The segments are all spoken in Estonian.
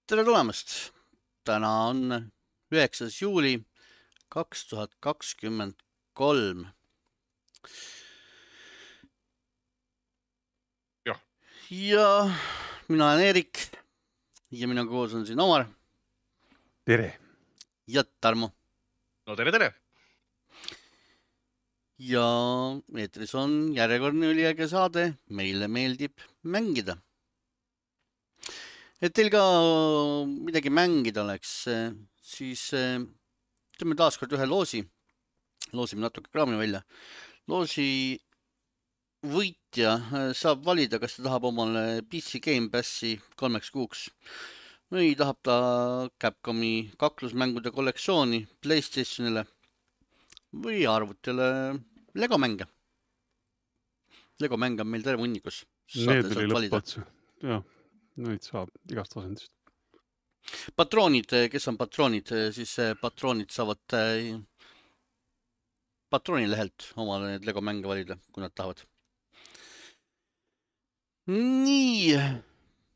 Tere tulemast! Täna on 9. juuli 2023. Jah. Ja mina olen Erik ja minuga koos on siin Omar Tere! ja Tarmo. No tere! Ja eetris on järjekordne üliäge saade Meile meeldib mängida. Et teil ka midagi mängida oleks, siis teeme taaskord ühe loosi. Loosime natuke kraami välja. Loosi võitja saab valida, kas ta tahab omale PC Game Passi 3 kuuks või tahab ta Capcomi kaklusmängude kollektsiooni PlayStationile või arvutile Lego mänge. Lego mänge on meil terve hunnikus. Need oli lõppotsa. Jah, neid saab igast asendist. Patroonid, kes on patroonid, siis patroonid saavad patroonilehelt omale need Lego mänge valida, kui nad tahavad. Nii,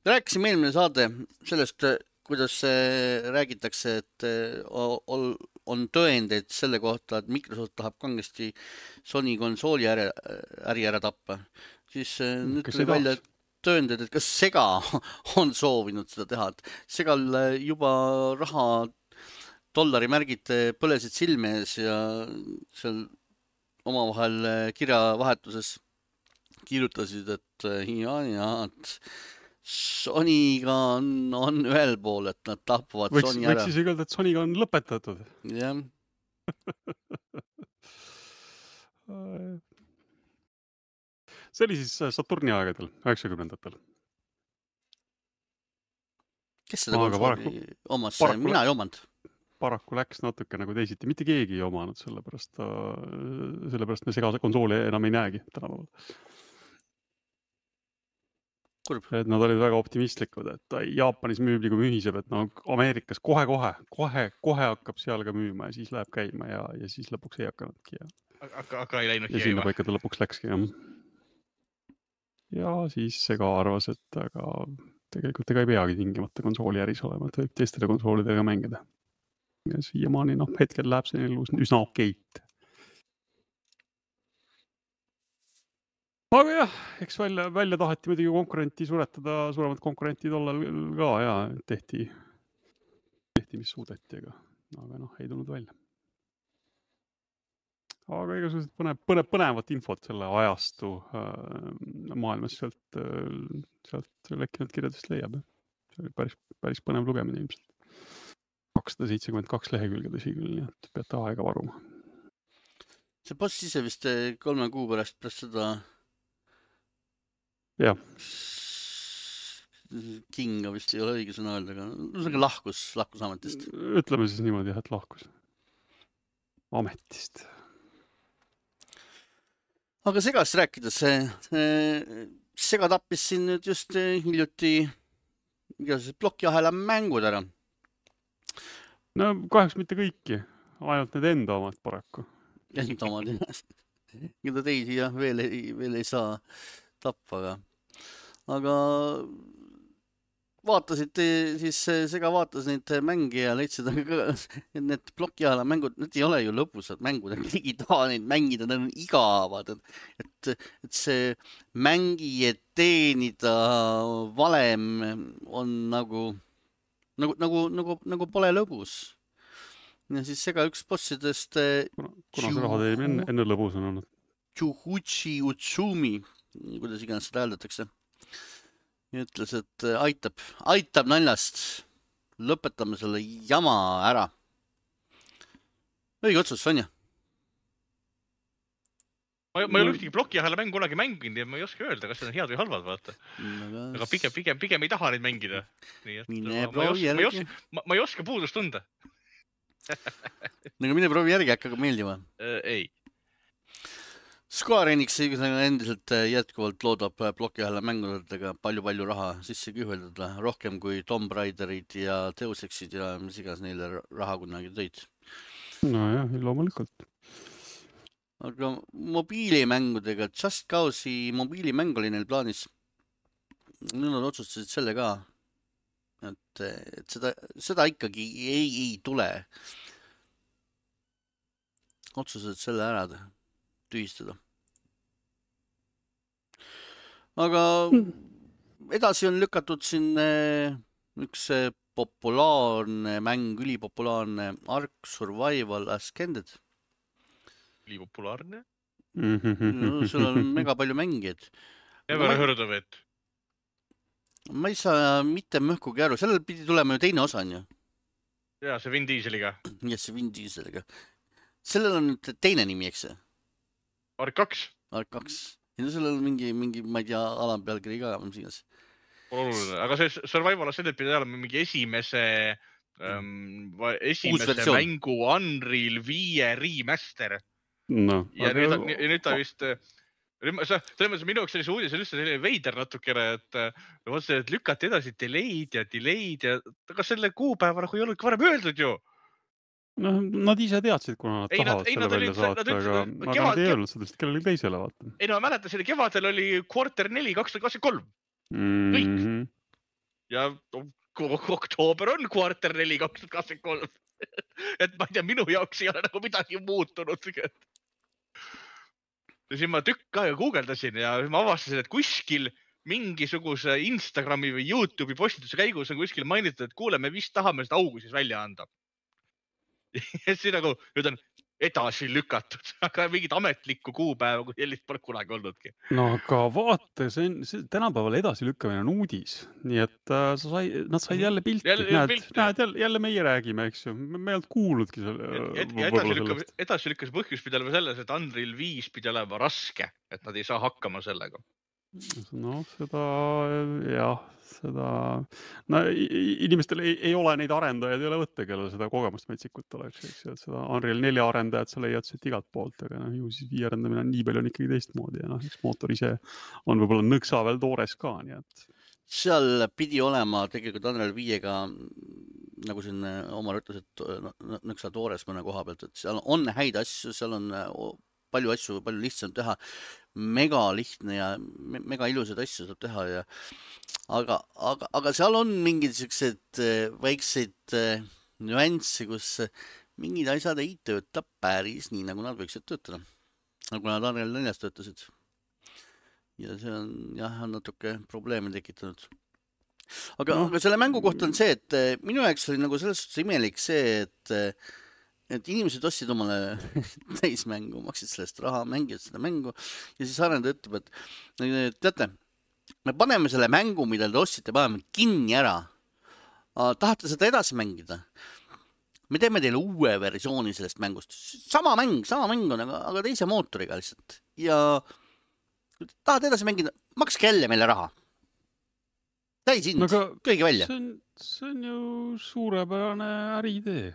rääkisime eelmine saade sellest, kuidas räägitakse, et on tõendeid selle kohta, et Microsoft tahab kangesti Sony konsooli äri ära tappa. Siis nüüd tuli välja tõendid, et kas Sega on soovinud seda teha. Segal juba raha dollarimärgid põlesid silme ees ja seal omavahel kirjavahetuses kirjutasid, et Sonyga on ühel pool, et nad tapavad Sony ära. Võiks siis öelda, et Sonyga on lõpetatud. Jah. See oli siis Saturni aegadel, 90-ndatel. Kes seda konsooli omas? Mina ei omanud. Paraku läks natuke nagu teisiti. Mitte keegi ei omanud, sellepärast me Sega konsooli enam ei näegi tänapäeval. Et nad olid väga optimistlikud, et Jaapanis müüb nagu mühiseb, et no Ameerikas kohe hakkab seal ka müüma ja siis läheb käima ja siis lõpuks ei hakkanudki. Aga ei läinudki. Ja sinna paika ta lõpuks läkski. Ja siis Sega arvas, et aga tegelikult ega ei peagi tingimata konsooli äris olema, et võib teistele konsoolidega mängida. Ja siiamaani hetkel läheb see üsna okeit. Aga jah, eks välja taheti muidugi konkurenti suretada, suuremad konkurentid tollal ka ja tehti mis suudeti, aga ei tulnud välja. Aga igasugused põnevat infot selle ajastu maailmas sealt lekkinud kirjadest leiab. See oli päris põnev lugemine ilmselt. 272 lehekülge tõsi küll, nii et peate aega varuma. See boss ise vist 3 kuu pärast seda jah. Kinga vist ei ole õige sõna öelda, aga lahkus ametist. Ütleme siis niimoodi, et lahkus ametist. Aga Segast rääkides, Sega tappis siin nüüd just hiljuti igasugused plokiahela mängud ära. No kahjuks mitte kõiki, ainult need enda omad paraku. Enda omad, keda teisi jah, veel ei saa tappa, aga vaatasite, siis Sega vaatas neid mänge ja leidsid, et need plokiahela mängud, need ei ole ju lõbusad mängud, digitaalneid mängida, need on igavad, et see mängijad teenida valem on nagu pole lõbus. Ja siis Sega üks bossidest kuna see raha teeb enne lõbus on olnud. Chuhuchi Utsumi, kuidas iganes seda hääldatakse. Ja ütles, et aitab naljast. Lõpetame selle jama ära. Õige otsus, Sonja. Ma ei ole ühtegi plokiahela mängu kunagi mänginud ja ma ei oska öelda, kas need on head või halvad, vaata. Aga pigem ei taha neid mängida. Ma ei oska puudust tunda. Nagu mine proovi järgi, äkki meeldima? Ei. Square Enix endiselt jätkuvalt loodab plokiahela mängudega palju raha sisse kühveldada, rohkem kui Tomb Raiderid ja Deus Exid ja mis igas neile raha kunagi tõid. No jah, loomulikult. Aga mobiilimängudega, Just Cause'i mobiilimäng oli neil plaanis. Nüüd nad otsustasid selle ka et seda ikkagi ei tule otseselt selle ära tühistada. Aga edasi on lükatud siin üks populaarne mäng, ülipopulaarne Ark Survival Ascended. Ülipopulaarne? No, sul on mega palju mängijaid. Never heard of it. Ma ei saa mitte mõhkugi aru, sellel pidi tulema ju teine osa, on ju? Jaa, see Vin Dieseliga. Jah, see Vin Dieseliga. Sellel on nüüd teine nimi, eks see? Ark 2. Ark 2. Ja no sellel on mingi, ma ei tea, alampealkiri ka, mis iganes. Oluline, aga see Survival Ascended pidi olema mingi esimese mängu Unreal 5 remaster. No, ja nüüd ta vist... Selles mõttes minu jaoks sellise uudis on üldse selline veider natukene, et lükati edasi delay'd ja aga selle kuupäeva nagu ei olnudki varem öeldud ju. No, nad ise teadsid, kuna nad tahavad selle välja saata, aga nad ei öelnud sellest kellelegi teisele vaata. Ei no, ma mäletan, selle kevadel oli quarter 4 2023. Kõik. Ja oktoober on quarter 4 2023. Et ma ei tea, minu jaoks ei ole nagu midagi muutunud. Ja siis ma tükk aega guugeldasin ja ma avastasin, et kuskil mingisuguse Instagrami või YouTube'i postituse käigus on kuskil mainitud, et kuule, me vist tahame seda augu siis välja anda. Ja siis nagu, nüüd on edasi lükatud, aga mingit ametlikku kuupäeva, kui sellist pole kunagi olnudki. No aga vaata, see tänapäeval edasi lükkamine on uudis, nii et nad said jälle pilti. Näed, jälle meie räägime, eks ju. Me ei olnud kuulnudki edasi lükkas põhjus pidi olema selles, et Unreal 5 pidi olema raske, et nad ei saa hakkama sellega. No inimestel ei ole neid arendajaid, ei ole võtta, kellel seda kogemust metsikut oleks, eks ju, et seda Unreal 4 arendajat sa leiad siit igalt poolt, aga ju siis 5 arendamine on nii palju on ikkagi teistmoodi ja eks mootor ise on võib-olla nõksa veel toores ka, nii et. Seal pidi olema tegelikult Unreal 5-ga, nagu siin Omar ütles, et nõksa toores mõne koha pealt, et seal on häid asju, seal on palju asju, palju lihtsam teha, mega lihtne ja mega ilusad asju saab teha ja aga seal on mingid sellised väikseid nüansse, kus mingid asjad ei tööta päris nii, nagu nad võiksid töötada. Nagu nad Unreal 4-s töötasid. Ja see on natuke probleeme tekitanud. Aga selle mängu kohta on see, et minu jaoks oli nagu selles suhtes imelik see, et inimesed ostsid omale täismängu, maksid sellest raha, mängivad seda mängu ja siis arendaja ütleb, et teate, me paneme selle mängu, mida te ostsite, paneme kinni ära. Tahate seda edasi mängida? Me teeme teile uue versiooni sellest mängust. Sama mäng on, aga teise mootoriga lihtsalt. Ja kui tahate edasi mängida, makske jälle meile raha. Täis hind, kõige välja. See on ju suurepärane äriidee.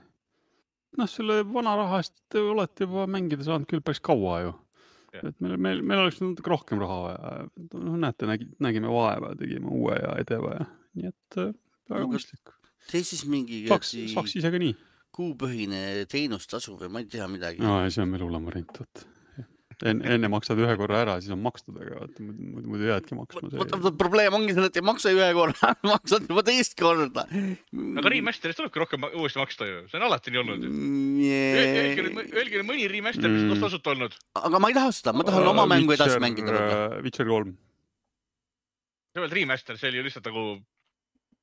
Selle vana raha eest te olete juba mängida saanud küll päris kaua ju. Et meil oleks natuke rohkem raha vaja. Näete, nägime vaeva, tegime uue ja edeva ja nii et väga mõistlik. Tee siis mingi saaks ise ka nii. Kuupõhine teenustasu või ma ei tea midagi. No, see on meil hullem variant. Enne maksad ühe korra ära, siis on makstud, aga muidu jäädki maksma. Probleem ongi selle, et ei maksa ühe korra, maksad juba teist korda. Aga remasterist tulebki rohkem uuesti maksta ju, see on alati nii olnud. Öelge mõni remaster, mis on tasuta olnud. Aga ma ei taha seda, ma tahan oma mängu edasi mängida. Witcher 3. See oli remaster, see oli ju lihtsalt nagu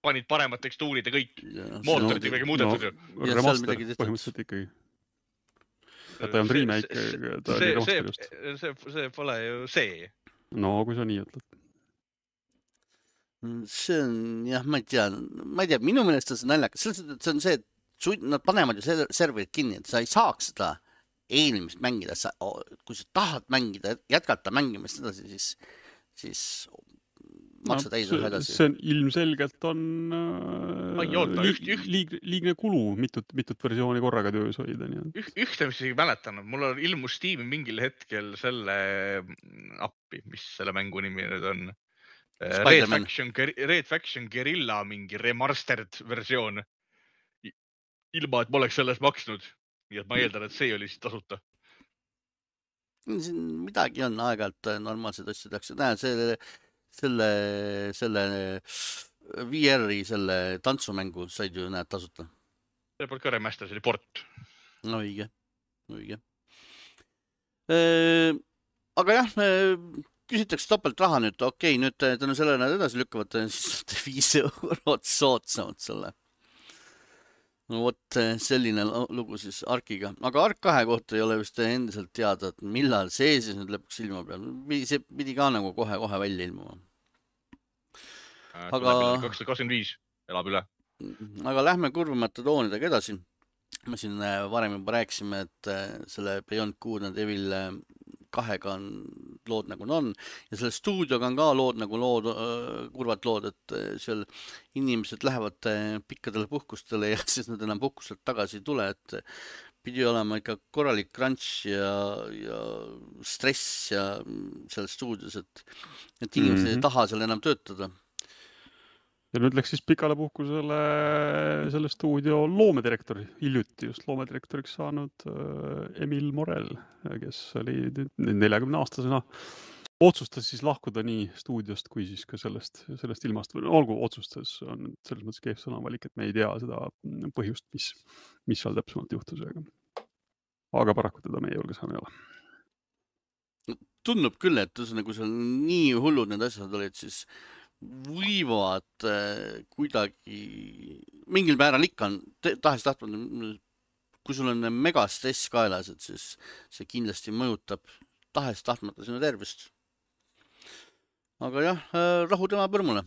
panid paremad tekstuurid ja kõik mootorid ja kõige muudetud ju. Remaster põhimõtteliselt ikkagi. Ta ei olnud remake, ta oli remaster just. See pole ju see. No, kui sa nii ütled. See on, ma ei tea, minu meelest on see naljakas. See on see, et nad panevad ju serverid kinni, et sa ei saaks seda eelmist mängida. Kui sa tahad mängida, jätkata mängimist edasi, siis maksa täis ühe edasi. See on ilmselgelt on liigne kulu mitut versiooni korraga töös hoida. Ühte, mis ei mäletan, mul ilmus Steam'i mingil hetkel selle appi, mis selle mängu nimi nüüd on. Red Faction Guerrilla mingi remastered versioon. Ilma, et ma oleks selles maksnud. Nii et ma eeldan, et see oli siis tasuta. Siin midagi on aeg-ajalt normaalsed asju tehakse. Näe, selle VR-i selle tantsumängu said ju näed tasuta. See polnud ka remaster, see oli port. No õige. Aga jah, küsitakse topelt raha nüüd, okei, nüüd tänu sellele nad edasi lükkavad, siis 5 eurot soodsamalt selle. No vot selline lugu siis Arkiga. Aga Ark 2 kohta ei ole vist endiselt teada, et millal see siis nüüd lõpuks ilma peal. See pidi ka nagu kohe välja ilmuma. Aga 2025 elab üle. Aga lähme kurvemate toonidega edasi. Me siin varem juba rääkisime, et selle Beyond Good and Evil 2-ga on lood nagu on ja selle stuudioga on ka lood nagu kurvad lood, et seal inimesed lähevad pikkadele puhkustele ja siis nad enam puhkustelt tagasi ei tule, et pidi olema ikka korralik crunch ja stress ja seal stuudios, et inimesed ei taha seal enam töötada. Ja nüüd läks siis pikale puhkusele selle stuudio loomedirektor, hiljuti just loomedirektoriks saanud Emil Morel, kes oli 40-aastasena. Otsustas siis lahkuda nii stuudiost kui siis ka sellest ilmast. Olgu otsustas, on selles mõttes keef sõnavalik, et me ei tea seda põhjust, mis seal täpsemalt juhtus. Aga paraku teda meie julges ei ole. Tundub küll, et nagu seal nii hullud need asjad olid, siis võivad kuidagi mingil määral ikka on tahes tahtmata, kui sul on mega stress kaelas, et siis see kindlasti mõjutab tahes tahtmata sinu tervist. Aga jah, rahu tema põrmule.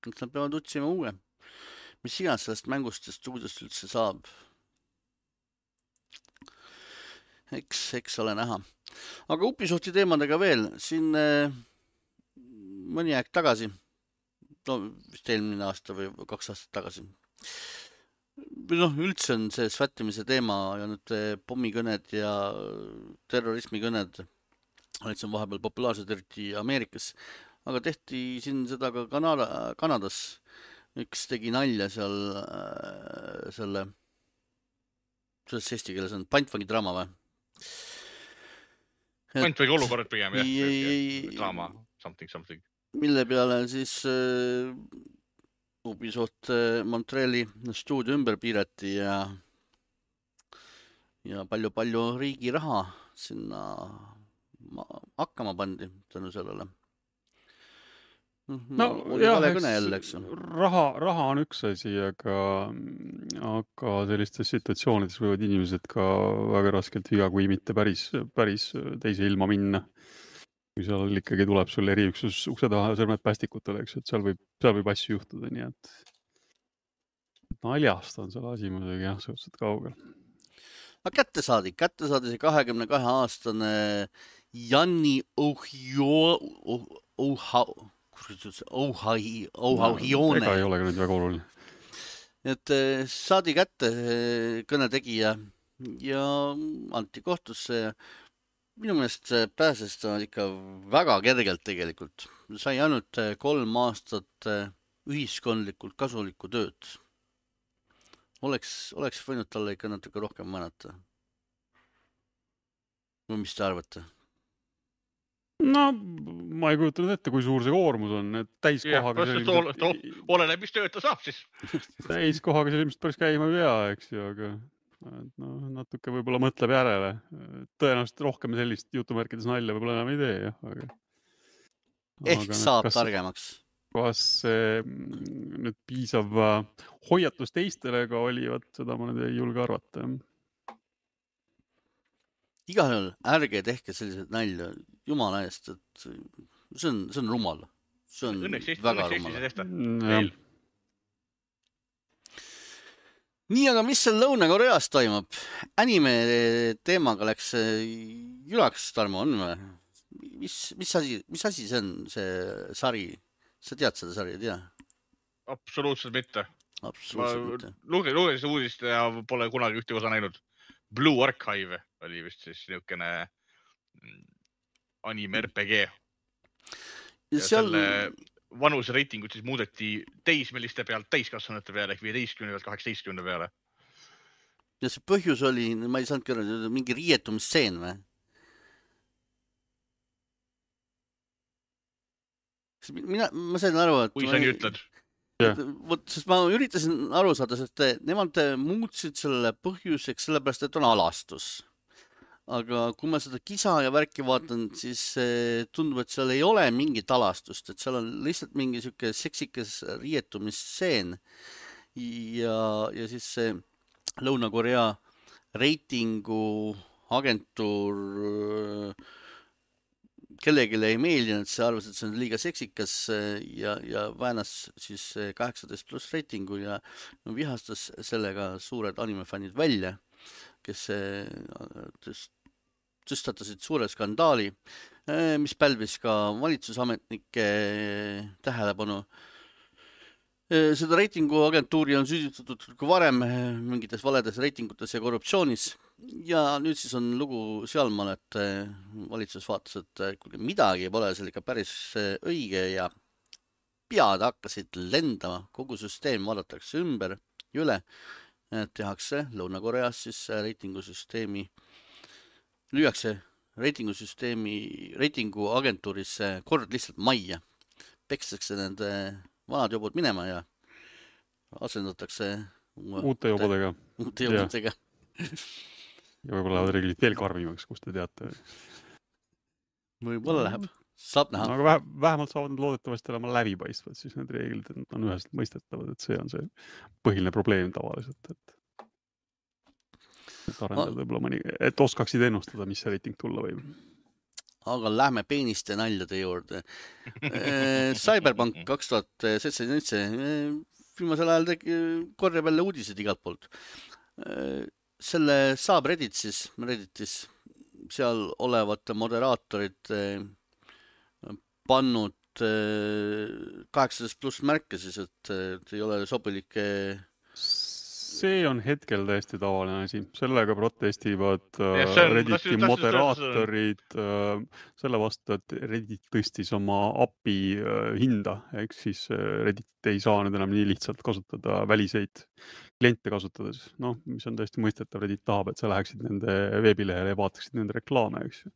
Nad peavad otsima uue. Mis iganes sellest mängust ja stuudiost üldse saab. Eks ole näha. Aga Ubisofti teemadega veel. Siin mõni aeg tagasi, vist eelmine aasta või 2 aastat tagasi. Üldse on see svättimise teema ja nüüd pommikõned ja terrorismikõned olid siin vahepeal populaarsed eriti Ameerikas, aga tehti siin seda ka Kanadas. Üks tegi nalja seal selles eesti keeles on pantvangi draama või? Pantvangi olukorrad pigem, jah. Draama, something. Mille peale siis Ubisoft Montreali stuudio ümber piirati ja palju riigi raha sinna hakkama pandi tänu sellele. No jah, jälle, raha on üks asi, aga sellistes situatsioonides võivad inimesed ka väga raskelt viga, kui mitte päris teise ilma minna. Kui seal ikkagi tuleb sul eriüksus ukse taha sõrmed päästikutele, eks, et seal võib asju juhtuda, nii et naljast on selle asi muidugi jah, suhteliselt kaugel. Aga kätte saadi see 22-aastane Janni Ohauhione. Ega ei ole ka nüüd väga oluline. Et saadi kätte kõnetegija ja anti kohtusse ja minu meelest pääses ta ikka väga kergelt tegelikult. Sai ainult 3 aastat ühiskondlikult kasulikku tööd. Oleks võinud talle ikka natuke rohkem mõnata. Või mis te arvate? No, ma ei kujutanud ette, kui suur see koormus on. Täiskohaga oleneb, mis tööd ta saab siis. Täiskohaga see ilmselt päris käima ei pea, eks ju, aga natuke võib-olla mõtleb järele. Tõenäoliselt rohkem sellist jutumärkides nalja võib-olla enam ei tee, jah. Ehk saab targemaks. Kas nüüd piisav hoiatus teistele ka oli, seda ma nüüd ei julge arvata. Igal juhul ärge tehke sellised nalja jumala eest, et see on rumal. See on väga rumal. Nii, aga mis seal Lõuna-Koreas toimub? Anime teemaga läks jülaks, Tarmo, on või? Mis asi see on, see sari? Sa tead seda sari, ei tea? Absoluutselt mitte. Absoluutselt mitte. Lugesin uudist ja pole kunagi ühte osa näinud. Blue Archive oli vist siis niisugune anime RPG. Ja selle vanuse reitingut siis muudeti teismeliste pealt täiskasvanute peale ehk 15 pealt 18 peale. Ja see põhjus oli, ma ei saanud kõrvada, mingi riietumisseen või? ma sain aru, et kui sa nii ütled. Vot, sest ma üritasin aru saada, sest nemad muutsid selle põhjuseks sellepärast, et on alastus. Aga kui ma seda kisa ja värki vaatan, siis tundub, et seal ei ole mingit alastust, et seal on lihtsalt mingi siuke seksikas riietumisseen ja siis see Lõuna-Korea reitingu agentuur kellelegi ei meeldinud, see arvas, et see on liiga seksikas ja väänas siis 18+ reitingu ja vihastas sellega suured animefännid välja, kes tõstatasid suure skandaali, mis pälvis ka valitsusametnike tähelepanu. Seda reitinguagentuuri on süüdistatud ka varem mingites valedes reitingutes ja korruptsioonis ja nüüd siis on lugu sealmaal, et valitsus vaatas, et midagi pole seal ikka päris õige ja pead hakkasid lendama, kogu süsteem vaadatakse ümber ja üle, tehakse Lõuna-Koreas siis reitingusüsteemi, lüüakse reitinguagentuuris kord lihtsalt majja, pekstakse nende vanad jobud minema ja asendatakse uute jobudega. Ja võib-olla lähevad reeglid veel karmimaks, kus te teate. Võib-olla läheb, saab näha. Aga vähemalt saavad nad loodetavasti olema läbipaistvad, siis need reeglid on üheselt mõistetavad, et see on see põhiline probleem tavaliselt, et arendada võib-olla mõni, et oskaksid ennustada, mis see reiting tulla võib. Aga lähme peeniste naljade juurde. Cyberpunk 2077 viimasel ajal korjab jälle uudised igalt poolt. Selle saab Redditis seal olevate moderaatorid pannud 18+ märke siis, et ei ole sobilik. See on hetkel täiesti tavaline asi. Sellega protestivad Redditi moderaatorid selle vastu, et Reddit tõstis oma API hinda. Ehk siis Reddit ei saa nüüd enam nii lihtsalt kasutada väliseid kliente kasutades. No, mis on tõesti mõistetav. Reddit tahab, et sa läheksid nende veebilehele ja vaataksid nende reklaame, eks ju.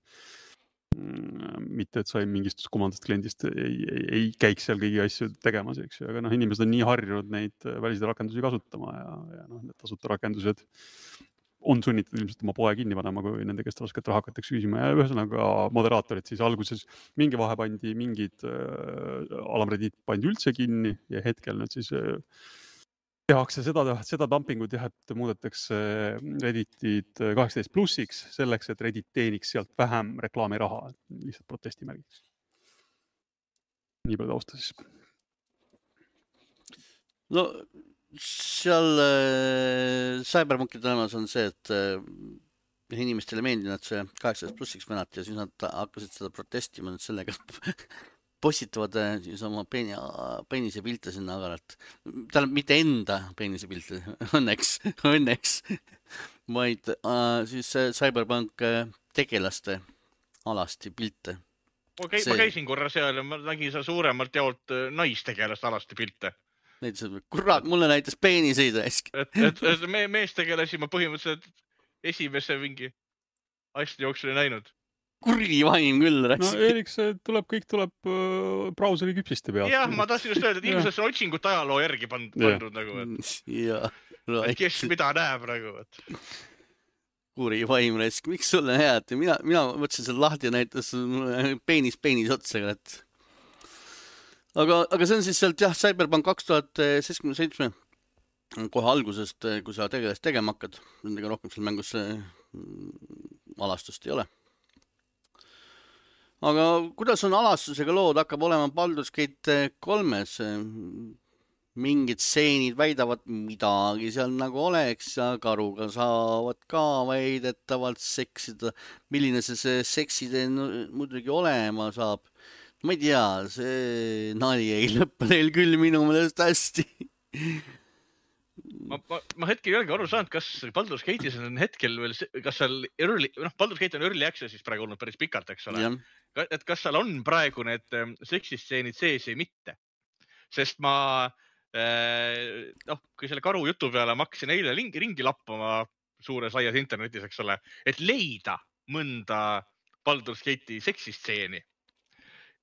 Mitte, et sa mingist kumandast kliendist ei käiks seal kõigi asju tegemas, eks ju, aga inimesed on nii harjunud neid väliseid rakendusi kasutama ja need tasuta rakendused on sunnitud ilmselt oma poe kinni panema, kui nende käest rasket raha hakatakse küsima ja ühesõnaga moderaatorid siis alguses mingi vahe pandi, mingid alamredit pandi üldse kinni ja hetkel nüüd siis tehakse seda dumpingut jah, et muudetakse Redditit 18+-iks selleks, et Reddit teeniks sealt vähem reklaamiraha, lihtsalt protestimärgiks. Nii palju tausta siis. No seal Cyberpunki tulemas on see, et inimestele meeldib, et see 18+-iks venati ja siis nad hakkasid seda protestima nüüd sellega postitavad siis oma peenise pilte sinna agaralt. Tähendab mitte enda peenise pilte, õnneks, vaid siis Cyberpunk tegelaste alasti pilte. Ma käisin korra seal ja ma nägin seal suuremalt jaolt naistegelast alasti pilte. Kurat, mulle näitas peeniseid äsk. Et meestegelasi ma põhimõtteliselt esimese mingi asja jooksul ei näinud. Kurgi vaim küll. No Erik, see kõik tuleb brauseri küpsiste pealt. Jah, ma tahtsin just öelda, et ilmselt on otsingut ajaloo järgi pandud nagu. Et kes mida näeb nagu. Kuri vaim räsk, miks sulle head? Mina võtsin selle lahti ja näitas peenis otsaga. Aga see on siis sealt jah, Cyberpunk 2077 kohe algusest, kui sa tegelast tegema hakkad. Nendega rohkem seal mängus alastust ei ole. Aga kuidas on alastusega lood, hakkab olema Baldur's Gate 3-s? Mingid seenid väidavad midagi seal nagu oleks ja karuga saavad ka väidetavalt seksida. Milline see sekside muidugi olema saab? Ma ei tea, see nali ei lõppe neil küll minu meelest hästi. Ma hetkel ei olegi aru saanud, kas Baldur's Gate'is on hetkel veel, kas seal Baldur's Gate on early access'is praegu olnud päris pikalt, eks ole. Et kas seal on praegu need seksistseenid sees või mitte. Sest ma, kui selle karu jutu peale ma hakkasin eile ringi lappama suures laias internetis, eks ole, et leida mõnda Baldur's Gate'i seksistseeni.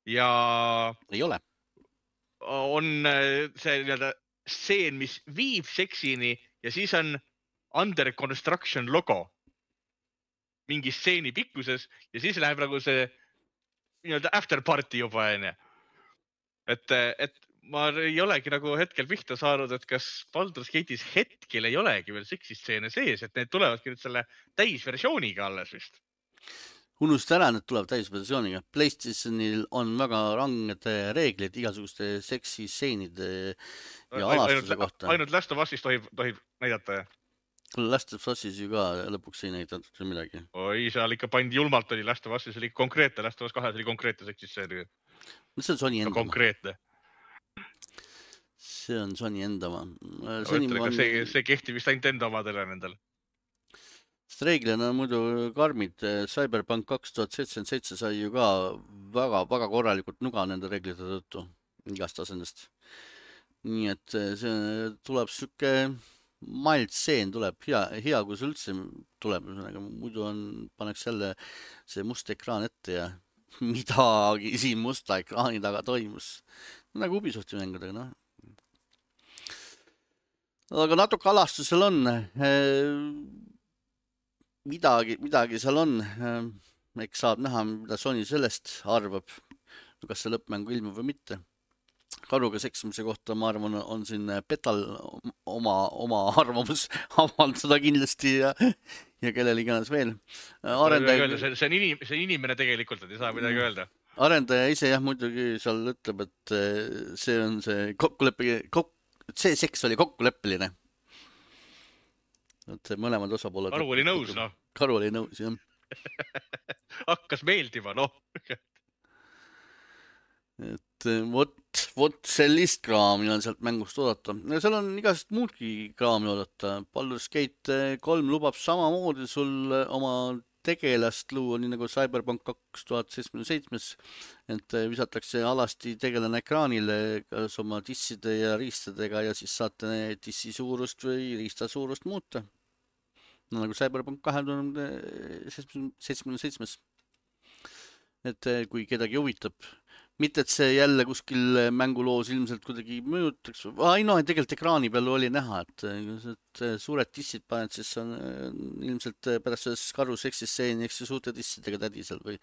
Ja ei ole. on see nii-öelda stseen, mis viib seksini ja siis on under construction logo mingi stseeni pikkuses ja siis läheb nagu see nii-öelda after party juba, onju. Et ma ei olegi nagu hetkel pihta saanud, et kas Baldur's Gate'is hetkel ei olegi veel seksistseene sees, et need tulevadki nüüd selle täisversiooniga alles vist. Unusta ära, need tuleb täisversiooniga. PlayStationil on väga ranged reeglid igasuguste seksistseenide ja alastuse kohta. Ainult Last of Us'is tohib näidata. Last of Us'is ju ka lõpuks ei näidatud midagi. Oi, seal ikka pandi julmalt oli Last of Us'is oli konkreetne, Last of Us 2 oli konkreetne seksistseen. See on Sony enda. Konkreetne. See on Sony enda oma. See kehtib vist ainult enda omadele nendel. Reeglina on muidu karmid. Cyberpunk 2077 sai ju ka väga korralikult nuga nende reeglite tõttu igast asendest. Nii et see tuleb süke mild seen tuleb hea kui see üldse tuleb. Muidu paneks jälle see must ekraan ette ja midagi siin musta ekraani taga toimus. Nagu Ubisofti mängudega, noh. Aga natuke alastusel on. Midagi seal on. Eks saab näha, mida Sony sellest arvab. Kas see lõppmängu ilmub või mitte. Karuga seksimise kohta, ma arvan, on siin Petal oma arvamus avaldada kindlasti ja kellel iganes veel. See on inimene tegelikult, et ei saa midagi öelda. Arendaja ise jah muidugi seal ütleb, et see on see see seks oli kokkuleppeline. Et mõlemad osapooled. Karu oli nõus, noh. Karu oli nõus, jah. Hakkas meeldima, noh. Et vot sellist kraami on sealt mängust oodata. Seal on igast muudki kraami oodata. Baldur's Gate 3 lubab samamoodi sul oma tegelast luua, nii nagu Cyberpunk 2077, et visatakse alasti tegelane ekraanile kas oma disside ja riistadega ja siis saate dissi suurust või riista suurust muuta. Nagu Cyberpunk 2077. Et kui kedagi huvitab. Mitte, et see jälle kuskil mänguloos ilmselt kuidagi mõjutaks. Tegelikult ekraani peal oli näha, et suured dissid paned, siis on ilmselt pärast selles karu seksisseeni, eks suurte dissidega tädi seal või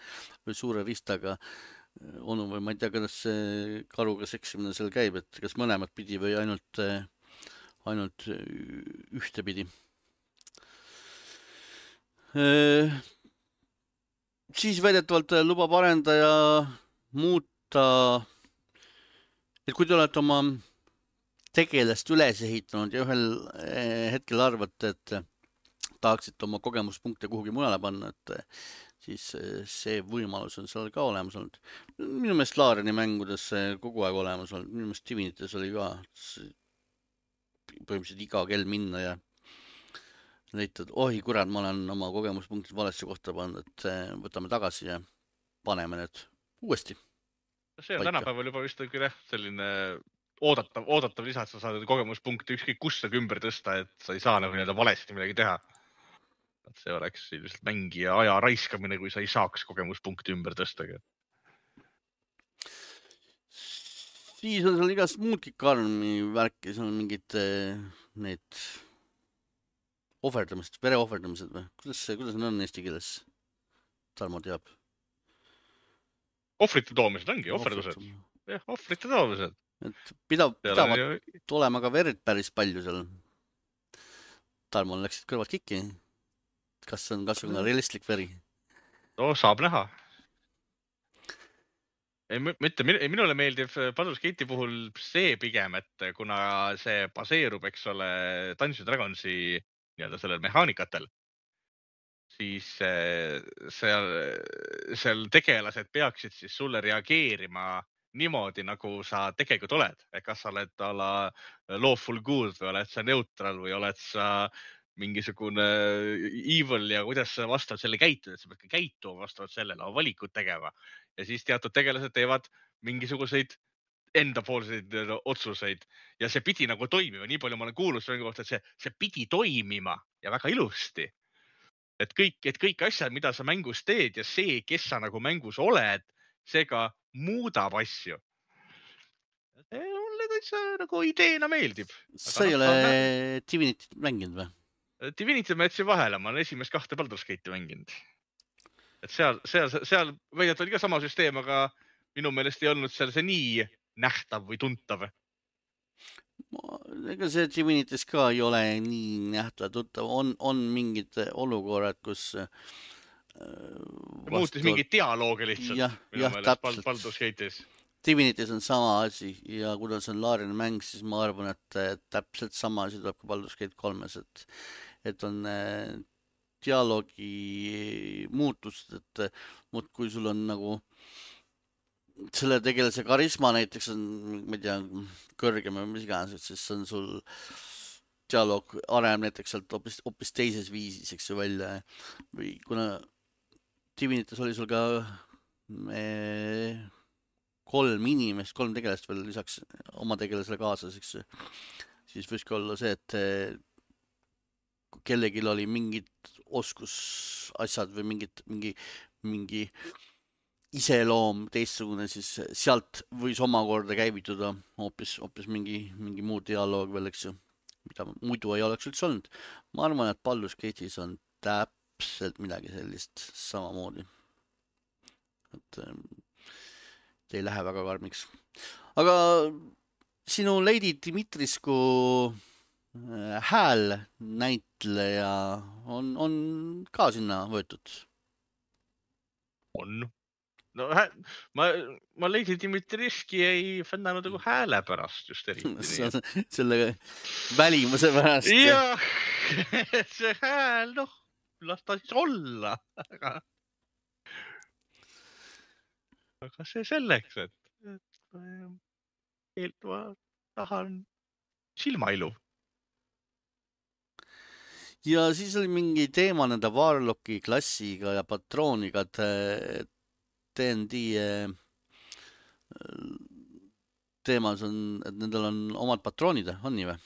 suure ristaga onu või ma ei tea, kuidas see karuga seksimine seal käib, et kas mõlemat pidi või ainult ühte pidi. Siis väidetavalt lubab arendaja muuta, et kui te olete oma tegelast üles ehitanud ja ühel hetkel arvate, et tahaksite oma kogemuspunkte kuhugi mujale panna, et siis see võimalus on seal ka olemas olnud. Minu meelest Laareni mängudes kogu aeg olemas olnud. Minu meelest Divinites oli ka põhimõtteliselt iga kell minna ja leitad, ohi kurat, ma olen oma kogemuspunktid valesse kohta pannud, et võtame tagasi ja paneme need uuesti. See on tänapäeval juba vist selline oodatav lisa, et sa saad kogemuspunkti ükskõik kus ümber tõsta, et sa ei saa nagu valesti midagi teha. Et see oleks ilmselt mängija aja raiskamine, kui sa ei saaks kogemuspunkti ümber tõsta. Siis on seal igast muudki karmi värki, seal on mingid need ohverdamised, vere ohverdamised või? Kuidas need on eesti keeles? Tarmo teab. Ohvrite toomised ongi, ohverdused. Jah, ohvrite toomised. Et pidavad olema ka verd päris palju seal. Tarmol läksid kõrvad kikki. Kas on kasvõi realistlik veri? No, saab näha. Minule meeldib Baldur's Gate'i puhul see pigem, et kuna see baseerub, eks ole, Dungeons & Dragonsi sellel mehaanikatel, siis seal tegelased peaksid siis sulle reageerima niimoodi, nagu sa tegelikult oled. Kas sa oled lawful good või oled sa neutral või oled sa mingisugune evil ja kuidas sa vastavalt selle käitud, et sa pead ka käituma vastavalt sellele, valikut tegema. Ja siis teatud tegelased teevad mingisuguseid endapoolseid otsuseid ja see pidi nagu toimima. Nii palju ma olen kuulnud selle kohta, et see pidi toimima ja väga ilusti. Et kõik asjad, mida sa mängus teed ja see, kes sa nagu mängus oled, see ka muudab asju. Mulle täitsa nagu ideena meeldib. Sa ei ole Divinityt mänginud või? Divinity ma jätsin vahele, ma olen esimest 2 Baldur's Gate'i mänginud. Et seal väidetavalt oli ka sama süsteem, aga minu meelest ei olnud seal see nii nähtav või tuntav. Ega see Divinity's ka ei ole nii nähtav tuttav. On mingid olukorrad, kus muutis mingi dialoogi lihtsalt minu meelest Baldur's Gate'is. Divinity's on sama asi ja kuidas on Laarine mäng, siis ma arvan, et täpselt sama asi tuleb ka Baldur's Gate 3-s, et on dialoogi muutust, et kui sul on nagu selle tegelase karisma näiteks on, ma ei tea, kõrgem või mis iganes, siis on sul dialoog areneb näiteks sealt hoopis teises viisis, eks ju, välja. Või kuna Divinity's oli sul ka 3 tegelast veel lisaks oma tegelasele kaasas, eks ju, siis võiks ka olla see, et kui kellelgi oli mingid oskusasjad või mingi iseloom teistsugune, siis sealt võis omakorda käivituda hoopis mingi muu dialoog veel, eks ju, mida muidu ei oleks üldse olnud. Ma arvan, et Baldur's Gate'is on täpselt midagi sellist samamoodi. Et ei lähe väga karmiks. Aga sinu Lady Dimitriscu hääl näitleja on ka sinna võetud? On. No, ma Lady Dimitriski ei fännanud nagu hääle pärast just eriti. Selle välimuse pärast. Jah, see hääl, las ta siis olla. Aga see selleks, et ma tahan silmailu. Ja siis oli mingi teema nende Warlocki klassiga ja patrooniga, et D&D teemas on, et nendel on omad patroonid, on nii või?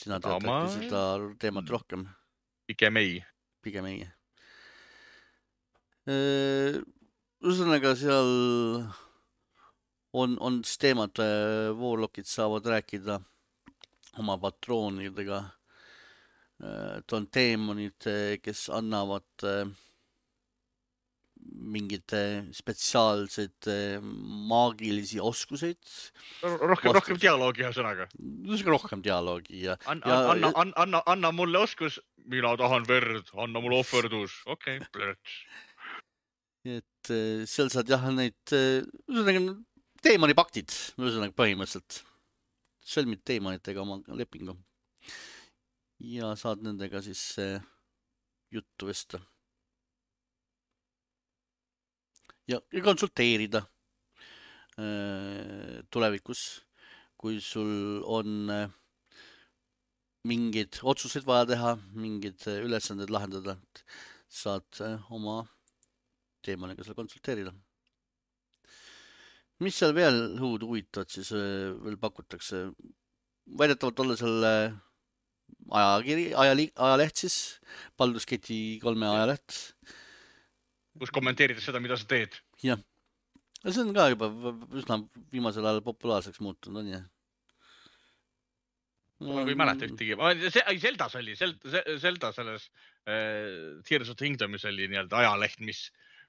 Sina tead seda teemat rohkem? Pigem ei. Ühesõnaga seal on teemad, Warlockid saavad rääkida oma patroonidega. On teemonid, kes annavad mingid spetsiaalsed maagilisi oskuseid. Rohkem dialoogi ja sõnaga. Rohkem dialoogi. Anna mulle oskus, mina tahan verd, anna mulle ohverdus. Okei, plörts. Et seal saad neid teemonipaktid, põhimõtteliselt. Sõlmid teemonitega oma lepingu. Ja saad nendega siis juttu vesta. Ja konsulteerida tulevikus, kui sul on mingid otsused vaja teha, mingid ülesanded lahendada, saad oma teemaniga seal konsulteerida. Mis seal veel huvitavat siis veel pakutakse? Väidetavalt olla seal ajaleht siis, Baldur's Gate'i 3 ajaleht. Kus kommenteerides seda, mida sa teed. Jah. See on ka juba üsna viimasel ajal populaarseks muutunud, on jah? Ma ei mäleta ühtegi. Zeldas oli, Zelda selles Tears of the Kingdomis oli nii-öelda ajaleht,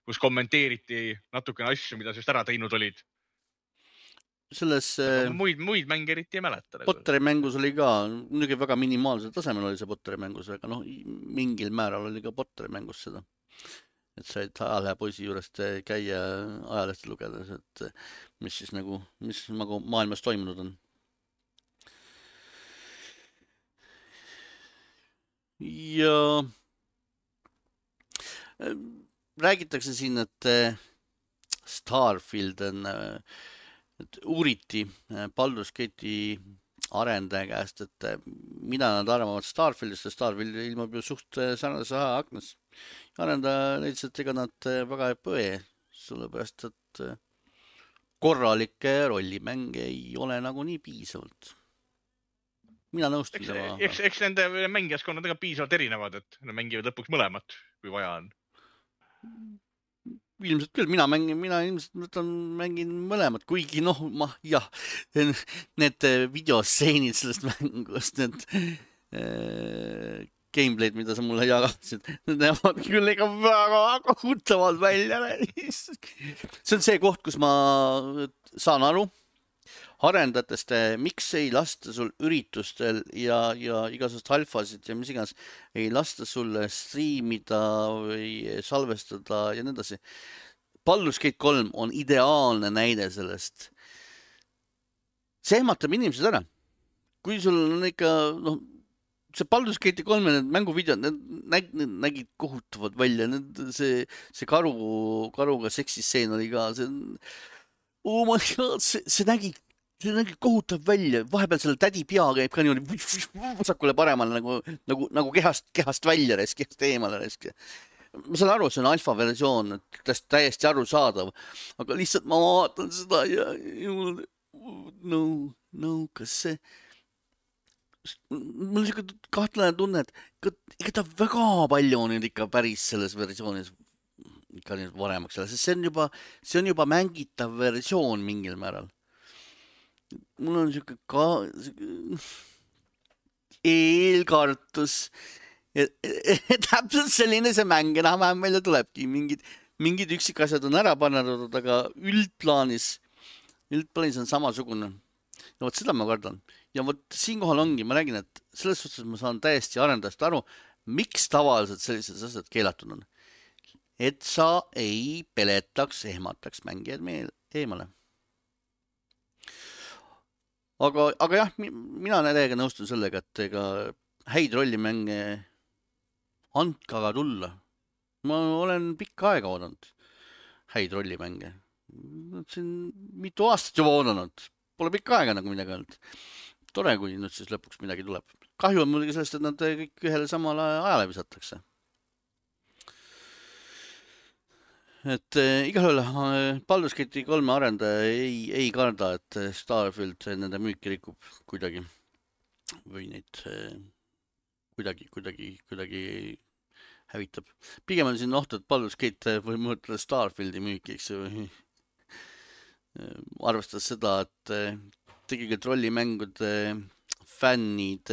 kus kommenteeriti natukene asju, mida just ära teinud olid. Selles muid mänge eriti ei mäleta. Potteri mängus oli ka, muidugi väga minimaalsel tasemel oli see Potteri mängus, aga mingil määral oli ka Potteri mängus seda. Et said ajalehe poisi juurest käia ajalehti lugedes, et mis siis nagu maailmas toimunud on. Ja räägitakse siin, et Starfield on, et uuriti Baldur's Gate'i arendaja käest, et mida nad arvavad Starfieldist, ja Starfield ilmub ju suht sarnase aknas. Arendaja leidis, et ega nad väga ei põe, sellepärast, et korralikke rollimänge ei ole nagu nii piisavalt. Mina nõustun tema. Eks nende mängijaskonnad piisavalt erinevad, et nad mängivad lõpuks mõlemat, kui vaja on. ilmselt küll, mina ilmselt mängin mõlemad, kuigi jah, need videostseenid sellest mängust, need gameplay'd, mida sa mulle jagasid, need näevad küll ikka väga kohutavad välja. See on see koht, kus ma saan aru arendajatest, miks ei lasta sul üritustel ja igasugust alfasid ja mis iganes ei lasta sulle striimida või salvestada ja nii edasi. Baldur's Gate 3 on ideaalne näide sellest. See ehmatab inimesed ära. Kui sul on ikka, see Baldur's Gate 3 need mänguvideod, need nägid kohutavad välja. See karuga seksisseen oli ka. Oh my god, see nägi kohutav välja. Vahepeal selle tädi pea käib ka niimoodi vasakule paremale nagu kehast välja resk, kehast eemale resk. Ma saan aru, see on alfa versioon, täiesti arusaadav, aga lihtsalt ma vaatan seda ja kas see mul on siuke kahtlane tunne, et ikka ta väga palju on nüüd ikka päris selles versioonis ikka nüüd varemaks selle, sest see on juba mängitav versioon mingil määral. Mul on siuke eelkartus. Täpselt selline see mäng enam-vähem välja tulebki. Mingid üksikasjad on ära pannud, aga üldplaanis on samasugune. Ja võt seda ma kardan. Ja võt siinkohal ongi, ma räägin, et selles suhtes ma saan täiesti arendajast aru, miks tavaliselt sellised asjad keelatud on. Et sa ei peletaks, ehmataks mängijad meil eemale. Aga jah, mina täiega nõustun sellega, et ega häid rollimänge andke aga tulla. Ma olen pikka aega oodanud häid rollimänge. Siin mitu aastat juba oodanud. Pole pikka aega nagu midagi olnud. Tore, kui nüüd siis lõpuks midagi tuleb. Kahju on muidugi sellest, et nad kõik ühele samale ajale visatakse. Et igal juhul Baldur's Gate 3 arendaja ei karda, et Starfield nende müüki rikub kuidagi. Või neid kuidagi hävitab. Pigem on siin oht, et Baldur's Gate või mõõtada Starfieldi müüki, eks ju. Arvestades seda, et tegelikult rollimängude fännid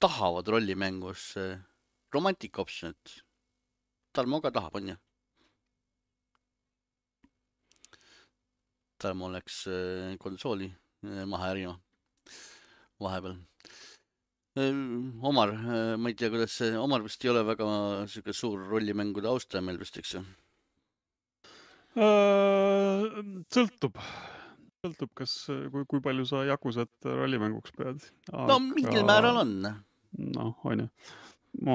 tahavad rollimängus romantic optionit. Tarmo ka tahab, on ju? Tarmo läks konsooli maha ärima vahepeal. Omar, ma ei tea, kuidas see, Omar vist ei ole väga suur rollimängude austaja meil vist, eks ju? Sõltub, kui palju sa Yakusat rollimänguks pead. No mingil määral on. On ju.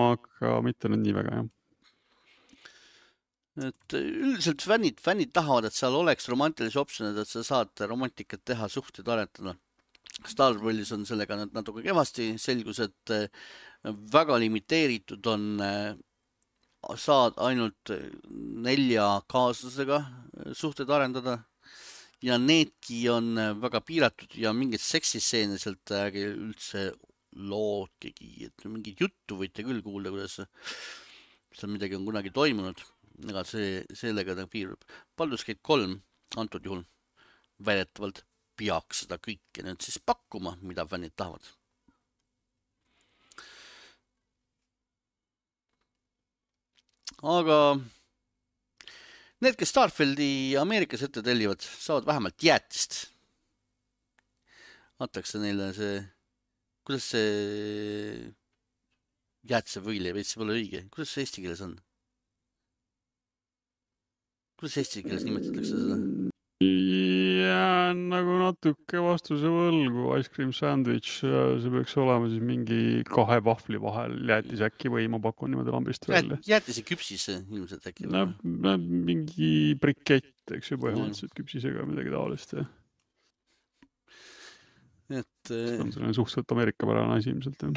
Aga mitte nüüd nii väga, jah. Et üldiselt fännid tahavad, et seal oleks romantilisi optionid, et sa saad romantikat teha, suhteid arendada. Starfields on sellega natuke kehvasti, selgus, et väga limiteeritud on, saad ainult 4 kaaslasega suhteid arendada ja needki on väga piiratud ja mingid seksisseene sealt üldse loodkegi, et mingit juttu võite küll kuulda, kuidas seal midagi on kunagi toimunud. Ega sellega ta piirub. Baldur's Gate 3 antud juhul väidetavalt peaks seda kõike nüüd siis pakkuma, mida fännid tahavad. Aga need, kes Starfieldi Ameerikas ette tellivad, saavad vähemalt jäätist. Antakse neile see, kuidas see jäätise võili, veits pole õige. Kuidas see eesti keeles on? Kuidas eesti keeles nimetatakse seda? Jään nagu natuke vastuse võlgu. Ice cream sandwich, see peaks olema siis mingi 2 vahvli vahel jäätis äkki või ma pakun niimoodi lambist välja. Jäätise küpsis ilmselt äkki? Mingi brikett, eks ju, põhimõtteliselt küpsisega midagi taolist. See on selline suhteliselt Ameerika-pärane asi ilmselt, jah.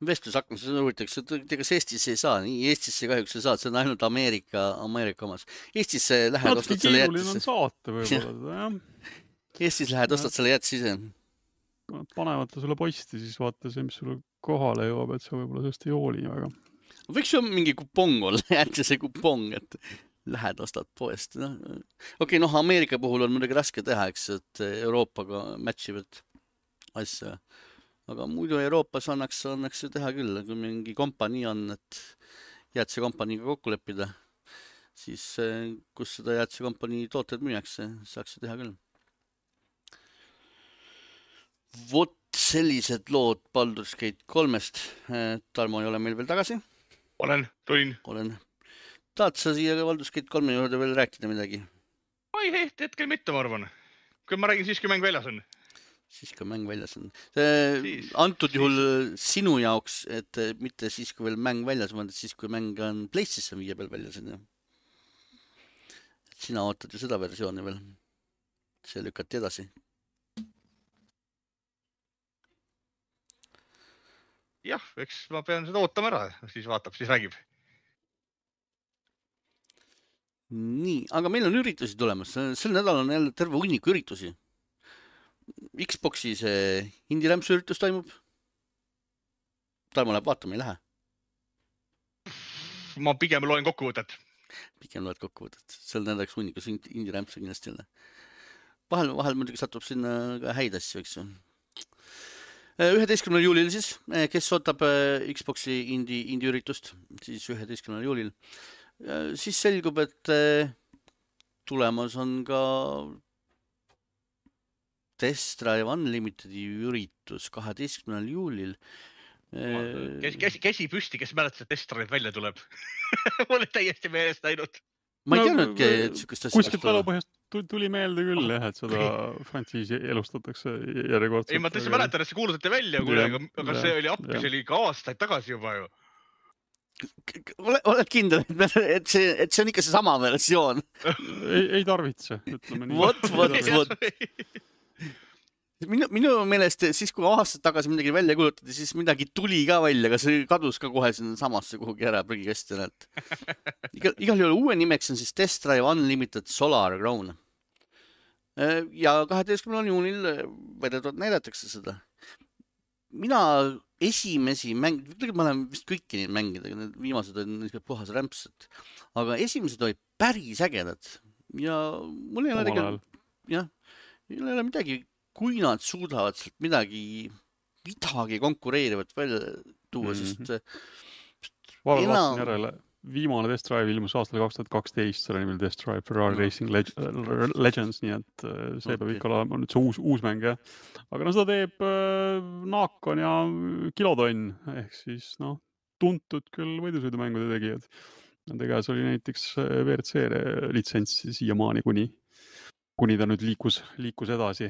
Vestlus hakkas uuritakse, et kas Eestis ei saa, nii Eestisse kahjuks ei saa, see on ainult Ameerika omas. Eestisse lähed, ostad selle jäätise. Keeruline on saata võib-olla, jah. Eestis lähed, ostad selle jäätise ise. Panevad sulle posti, siis vaata see, mis sulle kohale jõuab, et sa võib-olla sellest ei hooli väga. Võiks ju mingi kupong olla, jäätise kupong, et lähed, ostad poest. Okei, Ameerika puhul on muidugi raske teha, eks, et Euroopaga matchivad asja. Aga muidu Euroopas annaks ju teha küll, kui mingi kompanii on, et jäätsekompaniiga kokku leppida, siis kus seda jäätsekompanii tooted müüakse, saaks ju teha küll. Vot sellised lood Baldur's Gate 3-st. Tarmo ei ole meil veel tagasi. Tulin. Tahad sa siia Baldur's Gate 3 juurde veel rääkida midagi? Ai, hetkel mitte, ma arvan. Kui ma räägin siis, kui mäng väljas on. Siis, kui mäng väljas on. Antud juhul sinu jaoks, et mitte siis, kui veel mäng väljas on, siis, kui mäng on PlayStation 5 peal väljas on. Sina ootad ju seda versiooni veel. See lükati edasi. Jah, eks ma pean seda ootama ära, siis vaatab, siis räägib. Nii, aga meil on üritusi tulemas. Sel nädal on jälle terve hunniku üritusi. Xboxi see indie-rämpsu üritus toimub. Tarmo läheb vaatama, ei lähe. Ma pigem loen kokkuvõtet. Pigem loed kokkuvõtet. Sel nädalaks hunnikus indie-rämpsu kindlasti jälle. Vahel muidugi satub sinna ka häid asju, eks ju. 11. juulil siis, kes ootab Xboxi indie-üritust, siis 11. juulil. Siis selgub, et tulemas on ka Test Drive Unlimitedi üritus 12. juulil. Käsi püsti, kes mäletas, et Test Drive välja tuleb. Mulle täiesti meelest läinud. Ma ei teadnudki, et sükest asja. Kuskilt talupõhjast tuli meelde küll, et seda frantsiisi elustatakse järjekordselt. Ei, ma tõesti mäletan, et see kuulutati välja, aga see oli appi, see oli ka aastaid tagasi juba ju. Oled kindel, et see on ikka see sama versioon? Ei tarvitse, ütleme nii. Vot. Minu meelest siis, kui aastad tagasi midagi välja kulutati, siis midagi tuli ka välja, aga see kadus ka kohe sinna samasse kuhugi ära prügikasti. Igal juhul uue nimeks on siis Test Drive Unlimited Solar Crown. Ja 12. juunil vedetult näidatakse seda. Mina esimesi mängida, ma olen vist kõiki neid mängida, need viimased on puhas rämpsed, aga esimesed olid päris ägedad. Ja mul ei ole midagi, kui nad suudavad sealt midagi konkureerivat välja tuua, sest vaatasin järele. Viimane Test Drive ilmus aastal 2012, selle nimel Test Drive Ferrari Racing Legends, nii et see peab ikka olema nüüd see uus mäng, jah. Aga seda teeb Naakon ja Kilotonn, ehk siis tuntud küll võidusõidumängude tegijad. Nende käes oli näiteks WRC litsentsi siiamaani, kuni ta nüüd liikus edasi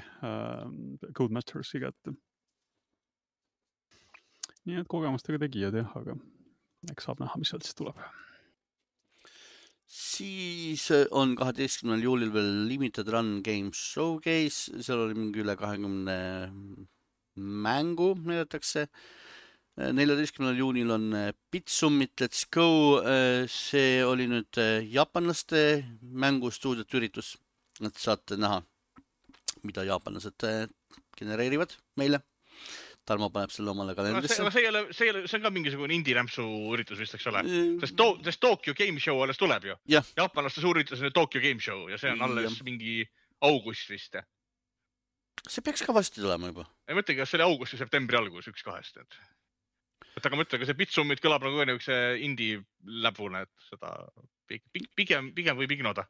Codemastersi kätte. Nii et kogemustega tegijad, jah, aga eks saab näha, mis sealt siis tuleb. Siis on 12. juulil veel Limited Run Games Showcase, seal oli mingi üle 20 mängu näidatakse. 14. juunil on Bitsumit Let's Go, see oli nüüd jaapanlaste mängustuudiot üritus, et saate näha, mida jaapanlased genereerivad meile. Tarmo paneb selle omale kalendrisse. See on ka mingisugune indie-rämpsu üritus vist, eks ole? Sest Tokyo Game Show alles tuleb ju. Jaapanlaste suur üritus on Tokyo Game Show ja see on alles mingi august vist. See peaks ka vasti tulema juba. Ei mõtlegi, kas see oli august ja septembri algus, 1-2. Aga mõtle, see Bitsumit kõlab nagu üks indie-läbune, et seda pigem võib ignoda.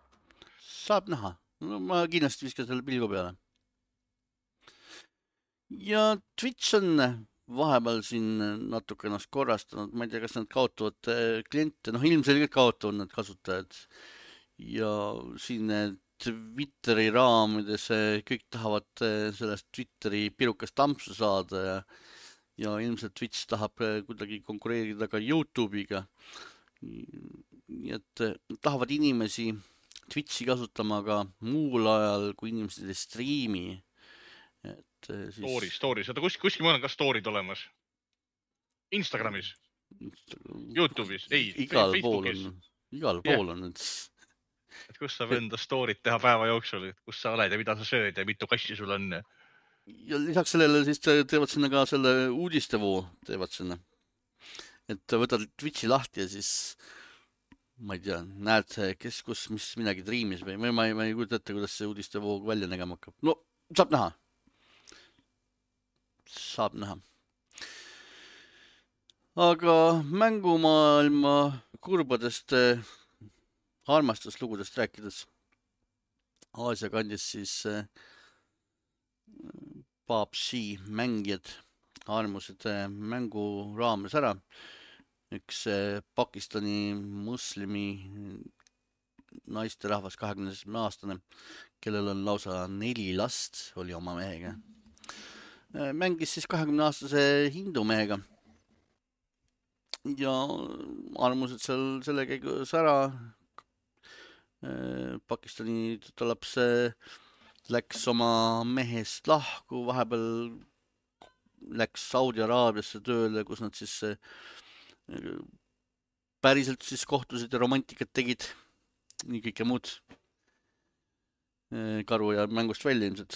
Saab näha. Ma kindlasti viskan selle pilgu peale. Ja Twitch on vahepeal siin natuke ennast korrastanud. Ma ei tea, kas nad kaotavad kliente. Ilmselgelt kaotavad nad kasutajad. Ja siin Twitteri raamides kõik tahavad sellest Twitteri pirukast tampsu saada ja ilmselt Twitch tahab kuidagi konkureerida ka YouTube'iga. Nii et tahavad inimesi Twitchi kasutama ka muul ajal, kui inimesed ei striimi. Stories, kuskil mul on ka story'd olemas. Instagramis, YouTube'is, Facebookis. Igal pool on. Et kus saab enda story'd teha päeva jooksul, kus sa oled ja mida sa sööd ja mitu kassi sul on. Ja lisaks sellele siis teevad sinna ka selle uudistevoo teevad sinna. Et võtad Twitchi lahti ja siis ma ei tea, näed, kes, kus, mis midagi triimis või ma ei kujuta ette, kuidas see uudistevoog välja nägema hakkab. No, saab näha. Saab näha. Aga mängumaailma kurbadest armastuslugudest rääkides. Aasia kandis siis PUBG mängijad armusid mängu raames ära. Üks Pakistani muslimi naisterahvas 27-aastane, kellel on lausa 4 last, oli oma mehega. Mängis siis 20-aastase hindu mehega. Ja armused seal selle käigus ära. Pakistani tütarlaps läks oma mehest lahku, vahepeal läks Saudi Araabiasse tööle, kus nad siis päriselt siis kohtusid ja romantikat tegid. Nii kõike muud. Karu ja mängust välja ilmselt.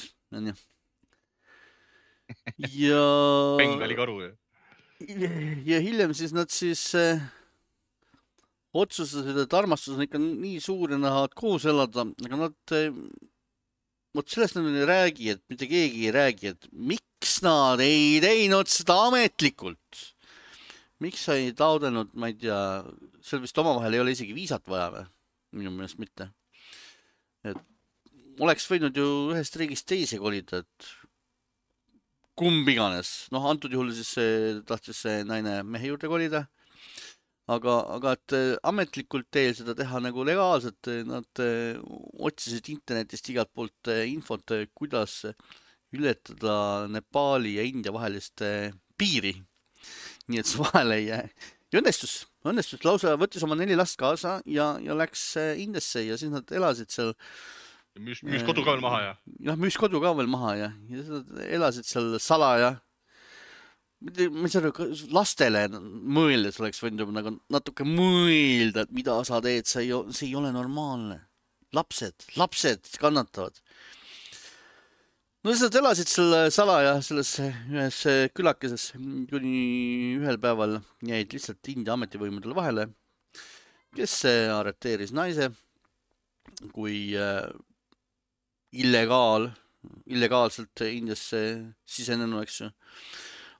Ja Bengali karu. Ja hiljem siis nad siis otsustasid, et armastus on ikka nii suur ja nad tahavad koos elada, aga nad vot sellest nad ei räägi, et mitte keegi ei räägi, et miks nad ei teinud seda ametlikult. Miks sa ei taodelnud, ma ei tea, seal vist omavahel ei ole isegi viisat vaja või? Minu meelest mitte. Et oleks võinud ju ühest riigist teise kolida, et kumb iganes. Noh, antud juhul siis tahtis see naine mehe juurde kolida. Aga et ametlikult teel seda teha nagu legaalselt, nad otsisid internetist igalt poolt infot, kuidas ületada Nepali ja India vahelist piiri. Nii et see vahele ei jää. Ja õnnestus lausa võttis oma 4 last kaasa ja läks Indiasse ja siis nad elasid seal. Müüs kodu ka veel maha ja? Jah, müüs kodu ka veel maha ja elasid seal salaja. Ma ei saa lastele mõeldes oleks võinud nagu natuke mõelda, et mida sa teed, see ei ole normaalne. Lapsed kannatavad. No siis nad elasid selle salaja selles ühes külakeses, kuni ühel päeval jäid lihtsalt India ametivõimudele vahele, kes arreteeris naise kui illegaalselt Indiasse sisenenu, eks ju.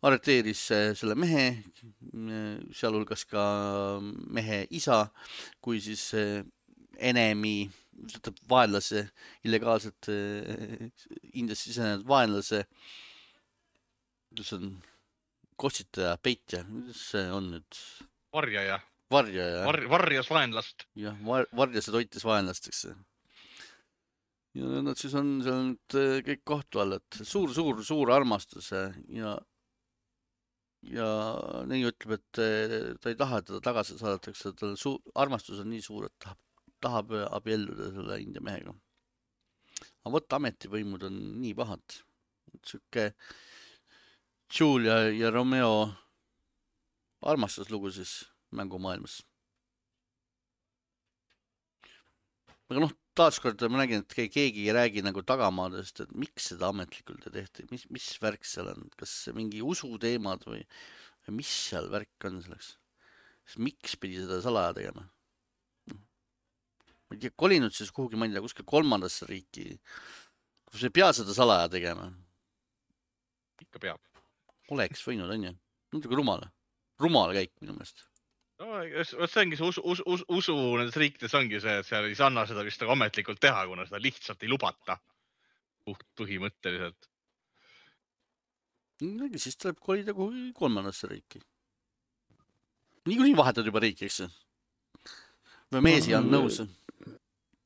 Arreteeris selle mehe, sealhulgas ka mehe isa, kui siis enemi vaenlase, illegaalselt Indias sisenenud vaenlase, mis on kossitaja, peitja, mis see on nüüd? Varjaja. Varjas vaenlast. Jah, varjas ja toitis vaenlast, eks. Ja nad siis on seal nüüd kõik kohtu all, et suur armastus ja nii ütleb, et ta ei taha teda tagasi saadatakse, tal armastus on nii suur, et tahab abielluda selle India mehega. Aga võtta ametivõimud on nii pahad. Siuke Julia ja Romeo armastuslugu siis mängumaailmas. Aga noh, taaskord ma nägin, et keegi ei räägi nagu tagamaadest, et miks seda ametlikult ei tehti, mis värk seal on, kas mingi usuteemad või mis seal värk on selleks? Miks pidi seda salaja tegema? Ma ei tea, kolinud siis kuhugi, ma ei tea, kuskil 3. riiki, kus ei pea seda salaja tegema. Ikka peab. Oleks võinud, on ju. Natuke rumal käik minu meelest. No, see ongi see usu nendes riikides ongi see, et seal ei sanna seda vist ametlikult teha, kuna seda lihtsalt ei lubata. Põhimõtteliselt. Siis tuleb kolida kuhugi 3. riiki. Nii vahetad juba riiki, eks? Või meesi on nõus?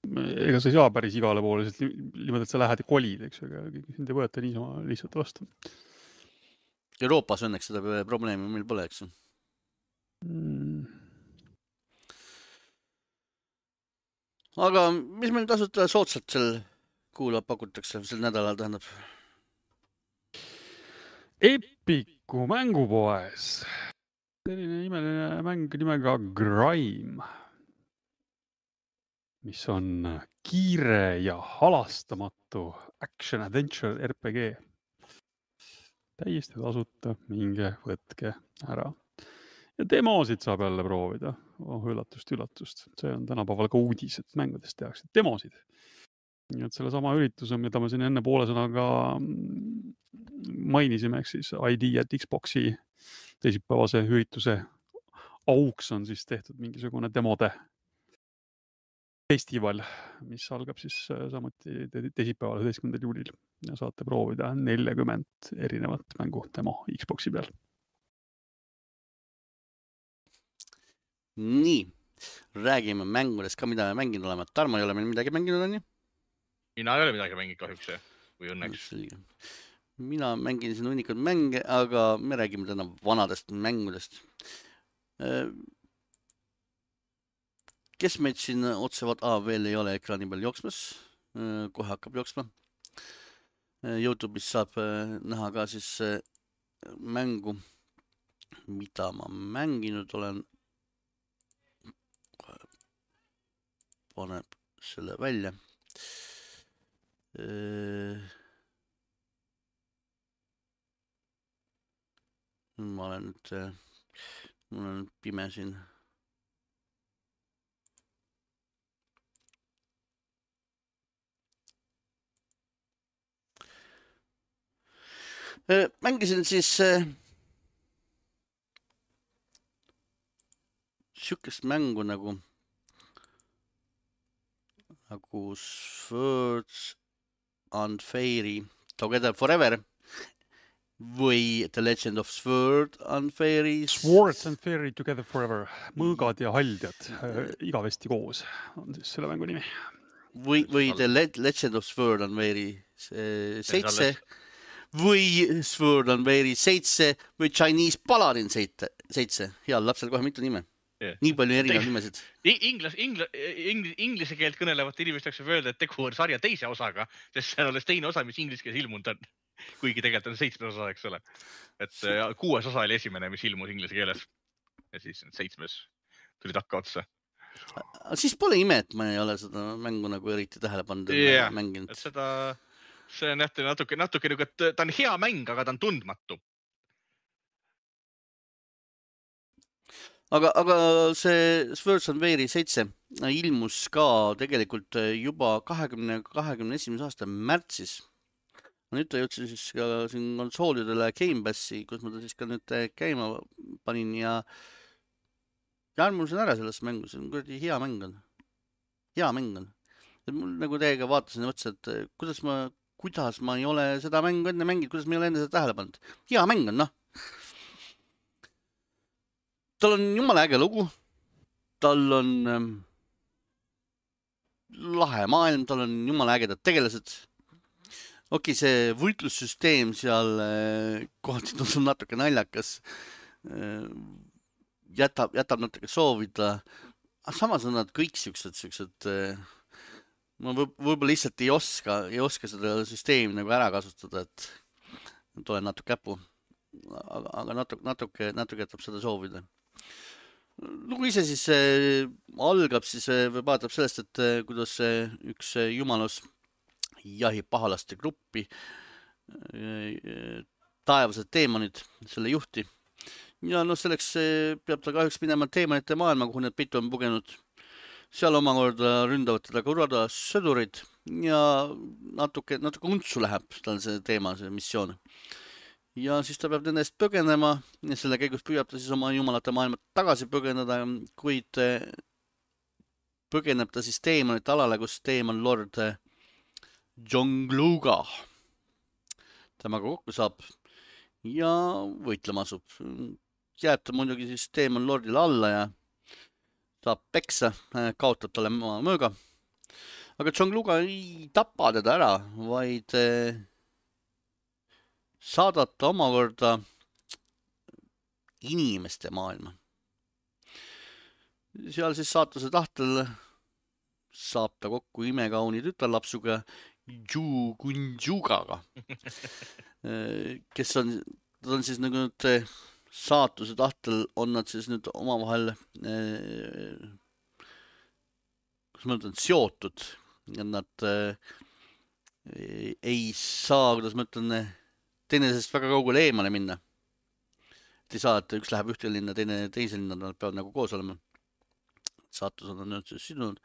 Ega sa ei saa päris igale poole, niimoodi, et sa lähed ja kolid, eks, aga sind ei võeta niisama lihtsalt vastu. Euroopas õnneks seda probleemi meil pole, eks? Aga mis meil tasuta soodsalt seal kuulab pakutakse sel nädalal, tähendab? Epiku mängupoes. Selline imeline mäng nimega Grime, mis on kiire ja halastamatu action-adventure RPG. Täiesti tasuta, minge võtke ära. Ja demosid saab jälle proovida. Üllatust. See on tänapäeval ka uudis, et mängudest tehakse demosid. Nii et selle sama ürituse, mida me siin enne poole sõnaga mainisime, ehk siis ID at Xboxi teisipäevase ürituse auks on siis tehtud mingisugune demode festival, mis algab siis samuti teisipäeval 11. juulil ja saate proovida 40 erinevat mängu demo Xboxi peal. Nii, räägime mängudest ka, mida me mänginud oleme. Tarmo ei ole meil midagi mänginud, on ju? Mina ei ole midagi mänginud kahjuks või õnneks. Mina mängin siin hunnikud mänge, aga me räägime täna vanadest mängudest. Kes meid siin otsevad veel ei ole ekraani peal jooksmas, kohe hakkab jooksma. YouTube'is saab näha ka siis mängu, mida ma mänginud olen. Paneb selle välja. Ma olen nüüd pime siin. Mängisin siis sükest mängu nagu Swords and Fairy Together Forever või The Legend of Sword and Fairy. Swords and Fairy Together Forever. Mõõgad ja haldjad igavesti koos on siis selle mängu nimi. Või The Legend of Sword and Fairy 7 või Sword and Fairy 7 või Chinese Paladin 7. Heal lapsel kohe mitu nime. Nii palju erinevad nimesid. Inglise keelt kõnelevat inimesteks võib öelda, et tegu on sarja teise osaga, sest see on alles teine osa, mis inglise keeles ilmunud on. Kuigi tegelikult on 7. osa, eks ole. Et 6. osa oli esimene, mis ilmus inglise keeles. Ja siis 7. tuli takka otsa. Siis pole ime, et ma ei ole seda mängu nagu eriti tähele pannud mänginud. See on natuke nagu, et ta on hea mäng, aga ta on tundmatu. Aga see Swords and Fairy 7 ilmus ka tegelikult juba 2021. aasta märtsis. Nüüd ta jõudsin siis ka siin konsoolidele Game Passi, kus ma ta siis ka nüüd käima panin ja armusin ära selles mängus. See on kuradi hea mäng on. Hea mäng on. Mul nagu teiega vaatasin ja mõtlesin, et kuidas ma ei ole seda mängu enne mänginud, kuidas ma ei ole enne seda tähele pannud. Hea mäng on, noh. Tal on jumala äge lugu, tal on lahe maailm, tal on jumala ägedad tegelased. Okei, see võitlussüsteem seal kohati tundub natuke naljakas, jätab natuke soovida. Samas on nad kõik siuksed, ma võib-olla lihtsalt ei oska seda süsteemi nagu ära kasutada, et olen natuke käpu, aga natuke jätab seda soovida. Lugu ise siis algab siis või vaatab sellest, et kuidas üks jumalus jahib pahalaste gruppi, taevased teemonid, selle juhti. Ja selleks peab ta kahjuks minema teemonite maailma, kuhu need pitu on pugenud. Seal omakorda ründavad teda korrada sõdurid ja natuke untsu läheb tal see teema, see missioon. Ja siis ta peab nendest põgenema ja selle käigus püüab ta siis oma jumalate maailma tagasi põgeneda, kuid põgeneb ta siis teemonite alale, kus teemon Lord Jongluga temaga kokku saab ja võitlema asub. Jääb ta muidugi siis teemon Lordile alla ja saab peksa, kaotab talle mõõga. Aga Jongluga ei tapa teda ära, vaid saadab ta omakorda inimeste maailma. Seal siis saatuse tahtel saab ta kokku imekauni tütarlapsuga Ju Kunjugaga, kes on siis nagu nüüd saatuse tahtel on nad siis nüüd omavahel kus ma ütlen, seotud. Nad ei saa, kuidas ma ütlen, teinesest väga kaugele eemale minna. et ei saa, et üks läheb ühte linna, teine teise linna, nad peavad nagu koos olema. Saatus on nüüd sidunud.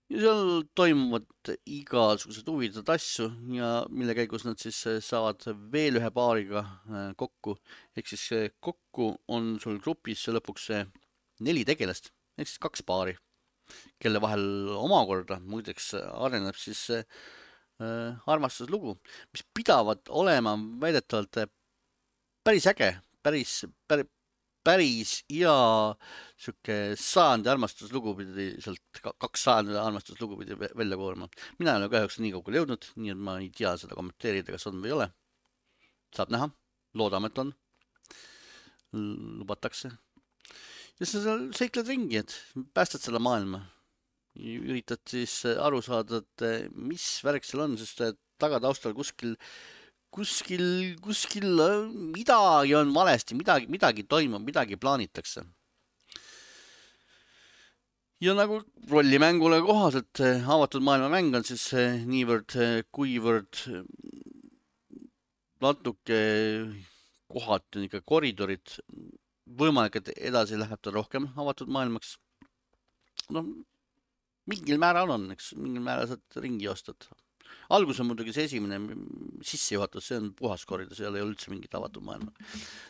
Ja seal toimuvad igasugused huvitavad asju ja mille käigus nad siis saavad veel ühe paariga kokku. Ehk siis kokku on sul grupis lõpuks 4 tegelast, ehk siis 2 paari, kelle vahel omakorda muideks areneb siis armastuslugu, mis pidavad olema väidetavalt päris äge, päris hea siuke 100 armastuslugu pidi sealt 200 armastuslugu pidi välja koorma. Mina ei ole kahjuks nii kaugele jõudnud, nii et ma ei tea seda kommenteerida, kas on või ei ole. Saab näha, loodame, et on. Lubatakse. Ja sa seal seikled ringi, et päästad selle maailma. Üritad siis aru saada, et mis värk seal on, sest tagataustal kuskil midagi on valesti, midagi toimub, midagi plaanitakse. Ja nagu rollimängule kohaselt avatud maailma mäng on siis niivõrd kuivõrd natuke kohati ikka koridorid, võimalik, et edasi läheb ta rohkem avatud maailmaks. No, mingil määral on, eks, mingil määral saad ringi ostad. Algus on muidugi see esimene sissejuhatus, see on puhas koridor, seal ei ole üldse mingit avatud maailma.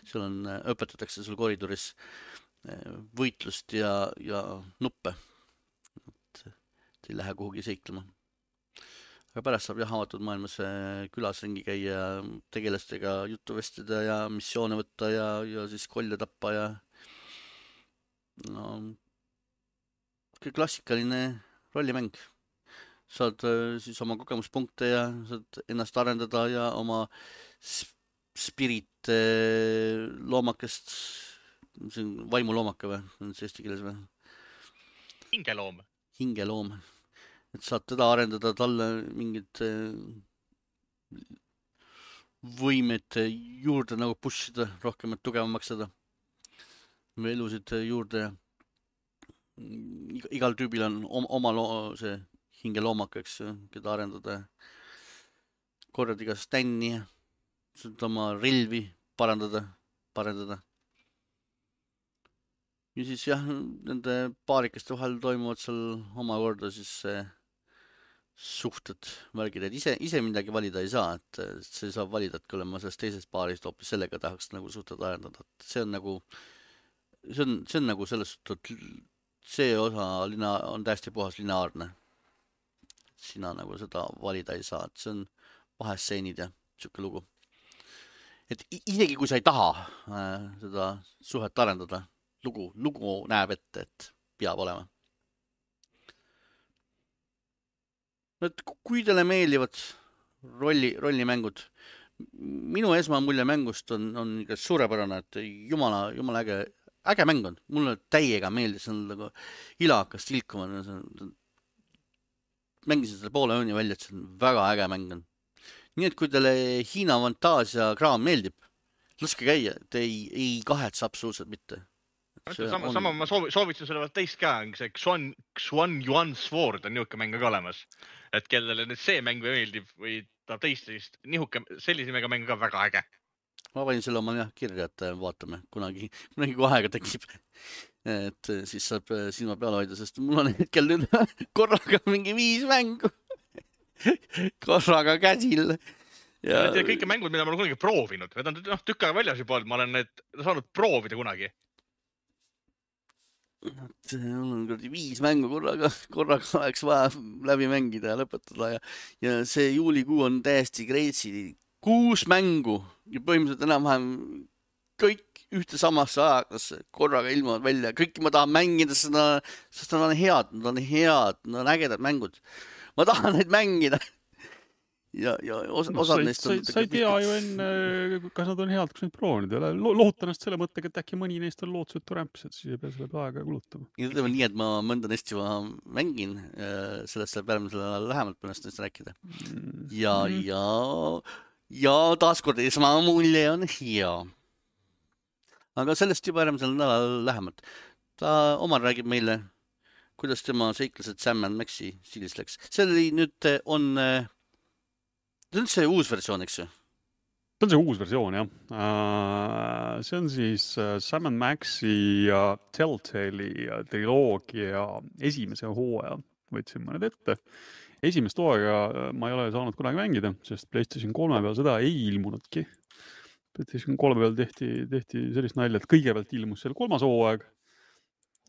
Seal on, õpetatakse sul koridoris võitlust ja nuppe. Et ei lähe kuhugi seiklema. Aga pärast saab jah avatud maailmas külas ringi käia, tegelastega juttu vestida ja missioone võtta ja siis kolja tappa ja no, klassikaline rollimäng. Saad siis oma kogemuspunkte ja saad ennast arendada ja oma spirit loomakest, see on vaimuloomake või, on see eesti keeles või? Hingeloom. Hingeloom. Et saad teda arendada, talle mingid võimed juurde nagu pushida, rohkem tugevamaks seda või elusid juurde ja igal tüübil on oma see hingeloomaka, eks, keda arendada. Korjad iga stänni ja saad oma relvi parandada. Ja siis jah, nende paarikeste vahel toimuvad seal omakorda siis suhted värgid, et ise midagi valida ei saa, et see saab valida, et kui olen ma sellest teisest paarist hoopis sellega tahaks nagu suhted arendada. See on nagu, see on nagu selles suhtes, see osa on täiesti puhas lineaarne. Sina nagu seda valida ei saa, et see on vahestseenid ja siuke lugu. Et isegi kui sa ei taha seda suhet arendada, lugu näeb ette, et peab olema. Et kui teile meeldivad rollimängud, minu esmamulje mängust on ikka suurepärane, et jumala äge mäng on. Mulle täiega meeldis, see on nagu ilakas tilkuma. Mängisin seda poole õuni välja, et see on väga äge mäng on. Nii et kui teile Hiina fantaasia kraam meeldib, laske käia, te ei kahetse absoluutselt mitte. Sama ma soovitsin selle veel teist ka, see Xuan Yuan Sword on nihuke mäng ka olemas. Et kellele nüüd see mäng meeldib või ta teist nihuke sellise mäng ka väga äge. Ma panin selle oma kirja, et vaatame, kunagi kui aega tekib. Et siis saab silma peale hoida, sest mul on hetkel nüüd korraga mingi 5 mängu. Korraga käsil. Ja kõike mängud, mida ma olen kunagi proovinud. Need on tükk aega väljas juba olnud, ma olen need saanud proovida kunagi. Mul on 5 mängu korraga oleks vaja läbi mängida ja lõpetada. Ja see juulikuu on täiesti crazy. 6 mängu ja põhimõtteliselt enam-vähem kõik ühte samasse ajaklasse korraga ilmuvad välja. Kõiki ma tahan mängida, sest nad on head, nad on ägedad mängud. Ma tahan neid mängida. Ja osad neist on... Sa ei tea ju enne, kas nad on head, kus neid proovinud ei ole. Lohutan ennast selle mõttega, et äkki mõni neist on lootusetu rämps, et siis ei pea selle aega kulutama. Ja ütleme nii, et ma mõnda neist juba mängin, sellest saab järgmisel lähemalt pärast neist rääkida. Ja taaskord esmamulje on hea. Aga sellest juba järgmisel nädalal lähemalt. Ta Omar räägib meile, kuidas tema seiklased Sam & Maxi stiilis läks. See oli nüüd on see uus versioon, eks ju? See on see uus versioon, jah. See on siis Sam & Maxi ja Telltale'i triloogia esimese hooaja. Võtsin mõned ette. Esimest hooaega ma ei ole saanud kunagi mängida, sest PlayStation 3 peal seda ei ilmunudki. PlayStation 3 peal tehti sellist nalja, et kõigepealt ilmus seal 3. hooaeg,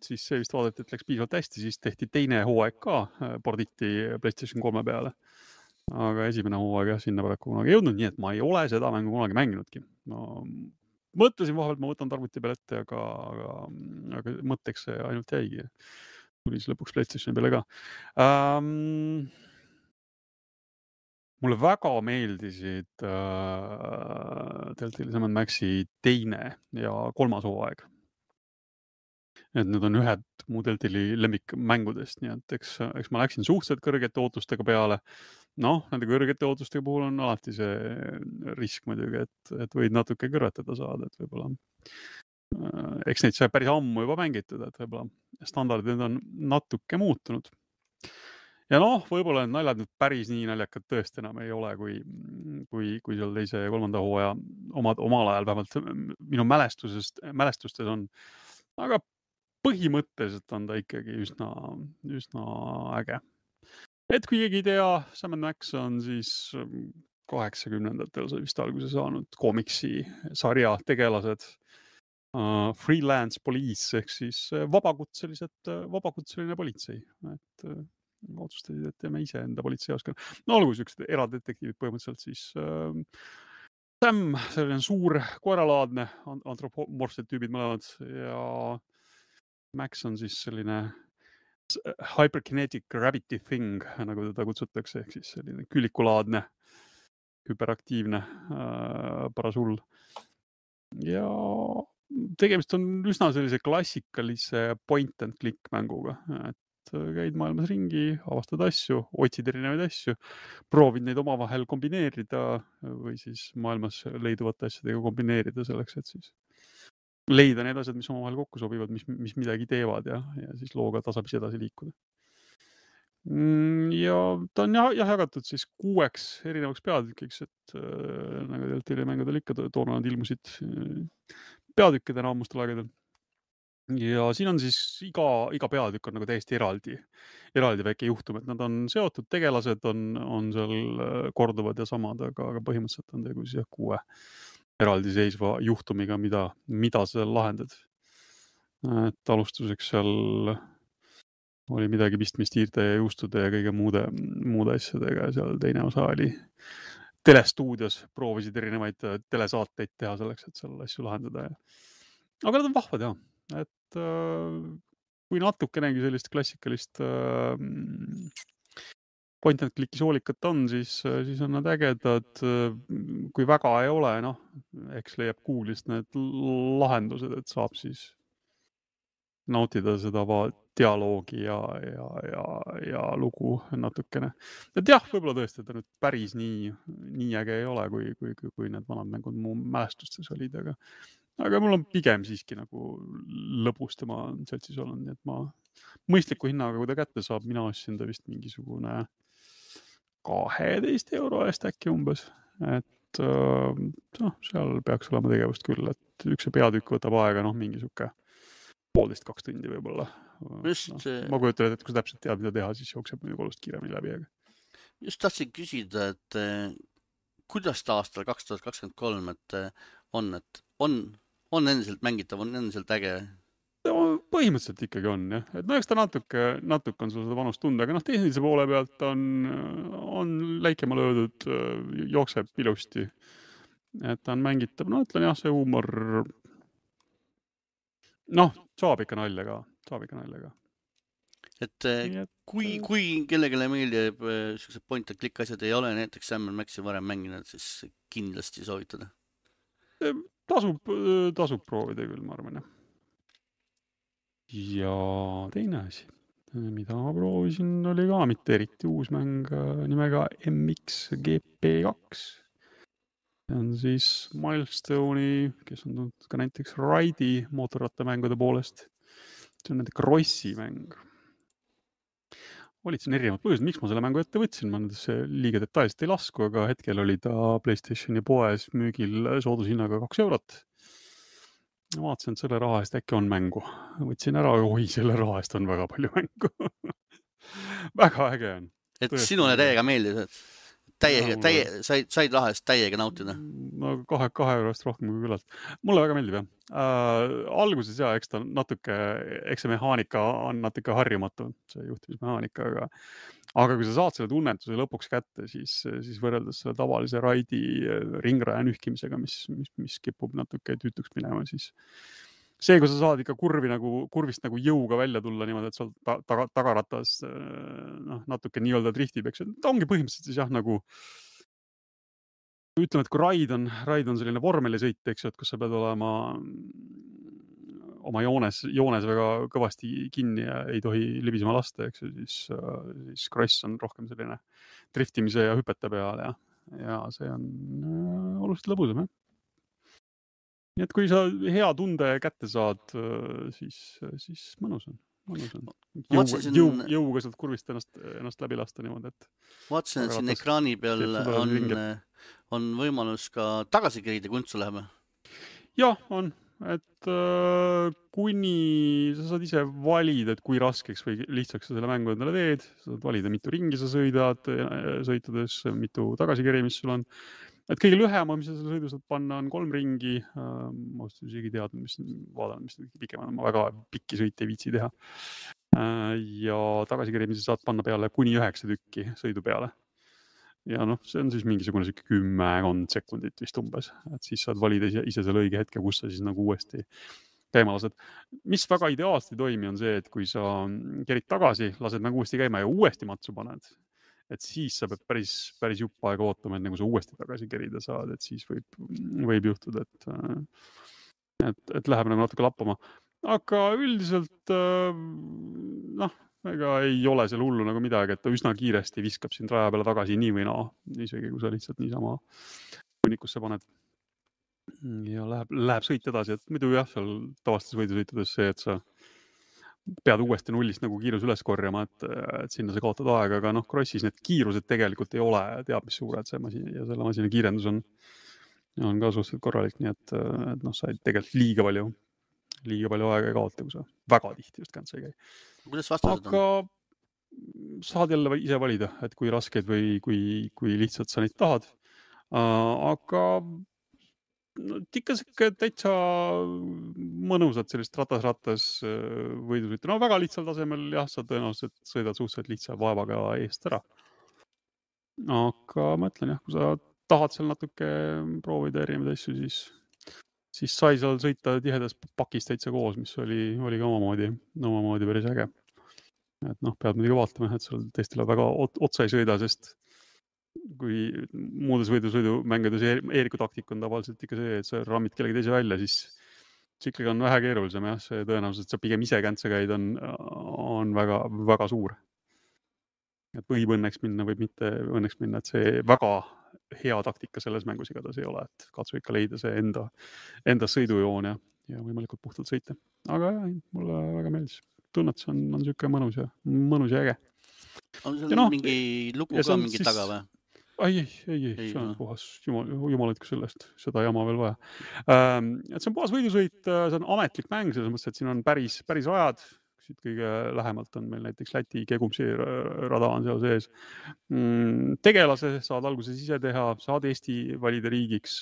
siis see vist vaadati, et läks piisavalt hästi, siis tehti 2. hooaeg ka, porditi PlayStation 3 peale. Aga esimene hooaeg jah, sinna paraku kunagi jõudnud, nii et ma ei ole seda mängu kunagi mänginudki. No, mõtlesin vahepealt, ma võtan tarvuti peale ette, aga mõtteks see ainult jäigi. Tuli siis lõpuks PlayStationi peale ka. Mulle väga meeldisid Telltale'i Sam & Maxi 2. ja 3. hooaeg. Et need on ühed mu Telltale'i lemmikmängudest, nii et eks ma läksin suhteliselt kõrgete ootustega peale. Noh, nende kõrgete ootustega puhul on alati see risk muidugi, et võid natuke kõrvetada saada, et võib-olla eks neid sai päris ammu juba mängitud, et võib-olla standardid on natuke muutunud. Ja noh, võib-olla need naljad nüüd päris nii naljakad tõesti enam ei ole, kui seal 2. ja 3. hooaja omal ajal vähemalt minu mälestustes on. Aga põhimõtteliselt on ta ikkagi üsna äge. Et kui keegi ei tea, Sam & Max on siis 80ndatel sai vist alguse saanud komiksi sarja tegelased, freelance police ehk siis vabakutseline politsei. Et otsustasid, et teeme ise enda politseijaoskonna. No olgu sellised eradetektiivid põhimõtteliselt siis Sam, selline suur koeralaadne, antropomorfsed tüübid mõlemad ja Max on siis selline hyperkinetic gravity thing, nagu teda kutsutakse, ehk siis selline külikulaadne, hüperaktiivne parasull. Ja tegemist on üsna sellise klassikalise point and click mänguga, et käid maailmas ringi, avastad asju, otsid erinevaid asju, proovid neid omavahel kombineerida või siis maailmas leiduvate asjadega kombineerida selleks, et siis leida need asjad, mis omavahel kokku sobivad, mis midagi teevad ja siis looga tasapisi edasi liikuda. Ja ta on jagatud siis 6 erinevaks peatükiks, et nagu Telltale'i mängudel ikka toona nad ilmusid peatükkidena ammustel aegadel. Ja siin on siis iga peatükk on nagu täiesti eraldi väike juhtum, et nad on seotud, tegelased on seal korduvad ja samad, aga põhimõtteliselt on tegu siis 6 eraldiseisva juhtumiga, mida sa lahendad. Et alustuseks seal oli midagi pistmist hiirte ja juustude ja kõige muude asjadega ja seal teine osa oli telestuudios, proovisid erinevaid telesaateid teha selleks, et seal asju lahendada. Aga nad on vahvad jah, et kui natukenegi sellist klassikalist point and click'i soolikat on, siis on nad ägedad. Kui väga ei ole, noh, eks leiab Google'ist need lahendused, et saab siis nautida seda dialoogi ja lugu natukene. Et jah, võib-olla tõesti, et ta nüüd päris nii äge ei ole, kui need vanad mängud mu mälestustes olid, aga mul on pigem siiski nagu lõbus tema seltsis olnud, nii et ma mõistliku hinnaga, kui ta kätte saab, mina ostsin ta vist mingisugune 12 € eest äkki umbes, et seal peaks olema tegevust küll, et üks peatükk võtab aega, mingi suke 1,5–2 tundi võib-olla. Ma kujutan, et kui sa täpselt tead, mida teha, siis jookseb muidugi olust kiiremini läbi. Just tahtsin küsida, et kuidas ta aastal 2023, et on endiselt mängitav, on endiselt äge? Põhimõtteliselt ikkagi on, jah. Et eks ta natuke on sul seda vanust tunda, aga tehnilise poole pealt on läikema löödud, jookseb ilusti. Et ta on mängitav, ütlen jah, see huumor, saab ikka nalja ka. Et kui kellegile meeldib sellised point and click asjad ei ole, näiteks Sam & Maxi varem mänginud, siis kindlasti soovitada. Tasub proovida küll, ma arvan, jah. Ja teine asi, mida ma proovisin, oli ka mitte eriti uus mäng nimega MXGP2. See on siis Milestone'i, kes on tulnud ka näiteks Ride'i mootorrattamängude poolest. See on nende Crossi mäng. siin erinevad põhjused, miks ma selle mängu ette võtsin, ma nendesse liiga detailselt ei lasku, aga hetkel oli ta PlayStationi poes müügil soodushinnaga 2 eurot. Vaatasin, et selle raha eest äkki on mängu. Võtsin ära, oi, selle raha eest on väga palju mängu. Väga äge on. Et sinule täiega meeldis, et said raha eest täiega nautida? No 2 eurost rohkem kui küllalt. Mulle väga meeldib, jah. Alguses eks ta natuke, eks see mehaanika on natuke harjumatu, see juhtimismehaanika, aga kui sa saad selle tunnetuse lõpuks kätte, siis võrreldes selle tavalise raidi ringraja nühkimisega, mis kipub natuke tüütuks minema, siis see, kui sa saad ikka kurvist nagu jõuga välja tulla niimoodi, et sa tagaratas natuke nii-öelda driftib, eks, ta ongi põhimõtteliselt siis jah, nagu ütleme, et kui raid on selline vormelisõit, eks ju, et kus sa pead olema oma joones väga kõvasti kinni ja ei tohi libisema lasta, eks ju, siis cross on rohkem selline driftimise ja hüpete peal ja see on oluliselt lõbusam, jah. Nii et kui sa hea tunde kätte saad, siis mõnus on. Jõuga sealt kurvist ennast läbi lasta niimoodi, et vaatasin, et siin ekraani peal on võimalus ka tagasi kerida, kui untsu läheme? Jah, on. Et kuni sa saad ise valida, et kui raskeks või lihtsaks sa selle mängu endale teed, sa saad valida, mitu ringi sa sõitudes, mitu tagasikerimist sul on. Et kõige lühema, mis sa selle sõidu saad panna, on 3 ringi. Ma isegi teadnud, mis pikemad, ma väga pikki sõite ei viitsi teha. Ja tagasikeerimise saad panna peale kuni 9 tükki sõidu peale. Ja see on siis mingisugune 10 sekundit vist umbes, et siis saad valida ise selle õige hetke, kus sa siis nagu uuesti käima lased. Mis väga ideaalselt ei toimi on see, et kui sa kerid tagasi, lased nagu uuesti käima ja uuesti matsu paned, et siis sa pead päris jupp aega ootama, et nagu sa uuesti tagasi kerida saad, et siis võib juhtuda, et läheb nagu natuke lappama. Aga üldiselt ega ei ole seal hullu nagu midagi, et ta üsna kiiresti viskab sind raja peale tagasi nii või naa, isegi kui sa lihtsalt niisama kunnikusse paned. Ja läheb sõit edasi, et muidu jah, seal tavastes võidusõitudes see, et sa pead uuesti nullist nagu kiirus üles korjama, et sinna sa kaotad aega, aga crossis need kiirused tegelikult ei ole, teab mis suured see masin ja selle masina kiirendus on ka suhteliselt korralik, nii et sa ei tegelikult liiga palju aega ei kaota, kui sa väga tihti just känd sa ei käi. Kuidas vastused on? Aga saad jälle ise valida, et kui raskeid või kui lihtsalt sa neid tahad. Aga ikka täitsa mõnusad sellist ratas võidusõitu. Väga lihtsal tasemel, jah, sa tõenäoliselt sõidad suhteliselt lihtsa vaevaga eest ära. Aga ma ütlen, jah, kui sa tahad seal natuke proovida erinevaid asju, siis sai seal sõita tihedas pakis täitsa koos, mis oli ka omamoodi päris äge. Et pead muidugi vaatama, et seal teistele väga otsa ei sõida, sest kui muudes võidusõidumängudes Eeriku taktik on tavaliselt ikka see, et sa rammid kellegi teise välja, siis ikkagi on vähe keerulisem, jah, see tõenäoliselt, et sa pigem ise käntse käid, on väga, väga suur. Et võib õnneks minna, võib mitte õnneks minna, et see väga hea taktika selles mängus igatahes ei ole, et katsu ikka leida see enda sõidujoon ja võimalikult puhtalt sõita. Aga jah, mulle väga meeldis. Tunnetus on siuke mõnus ja äge. On seal mingi lugu ka mingi taga või? Ei, see on puhas jumalatku sellest, seda jama veel vaja. Et see on puhas võidusõit, see on ametlik mäng, selles mõttes, et siin on päris rajad. Siit kõige lähemalt on meil näiteks Läti Kegumsi rada on seal sees. Tegelase saad alguses ise teha, saad Eesti valida riigiks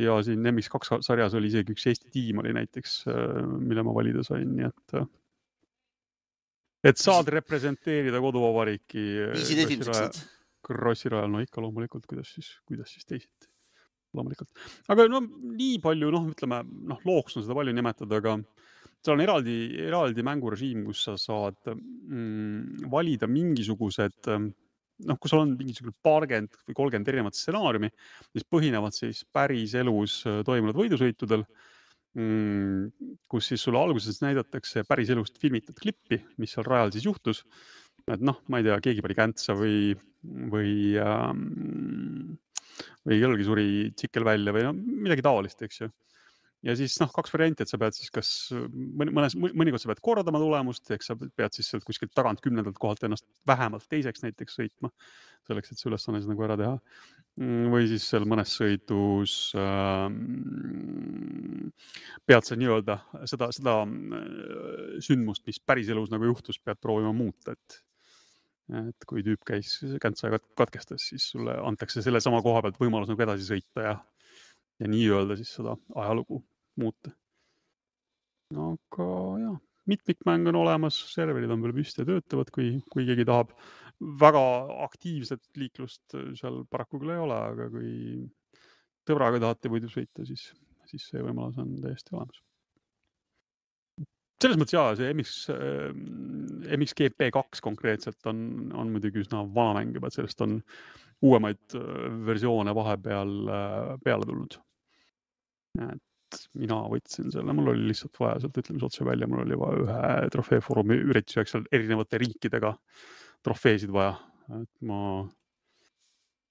ja siin MX2 sarjas oli isegi üks Eesti tiim oli näiteks, mille ma valida sain, nii et saad representeerida koduvabariiki Krossi rajal, ikka loomulikult, kuidas siis teisiti. Loomulikult. Aga nii palju, ütleme, looks on seda palju nimetada, aga seal on eraldi mängurežiim, kus sa saad valida mingisugused, kus sul on mingisugune 20 või 30 erinevat stsenaariumi, mis põhinevad siis päris elus toimunud võidusõitudel, kus siis sulle alguses näidatakse päris elust filmitud klippi, mis seal rajal siis juhtus. Et ma ei tea, keegi pani käntsa või kellelgi suri tsikkel välja või midagi taolist, eks ju. ja siis kaks varianti, et sa pead siis kas mõnikord sa pead kordama tulemust, ehk sa pead siis sealt kuskilt tagant 10. kohalt ennast vähemalt teiseks näiteks sõitma, selleks, et see ülesanne siis nagu ära teha. Või siis seal mõnes sõidus pead sa nii-öelda seda sündmust, mis päris elus nagu juhtus, pead proovima muuta, et kui tüüp käis käntsa ja katkestas, siis sulle antakse selle sama koha pealt võimalus nagu edasi sõita ja nii-öelda siis seda ajalugu muuta. Aga jah, mitmikmäng on olemas, serverid on veel püsti ja töötavad, kui keegi tahab. Väga aktiivset liiklust seal paraku küll ei ole, aga kui tõbraga tahate võidu sõita, siis see võimalus on täiesti olemas. Selles mõttes jaa, see MXGP2 konkreetselt on muidugi üsna vana mäng juba, et sellest on uuemaid versioone vahepeal peale tulnud. Et mina võtsin selle, mul oli lihtsalt vaja sealt ütlemise otse välja, mul oli vaja ühe trofeefoorumi ürituseks seal erinevate riikidega trofeesid vaja. Et ma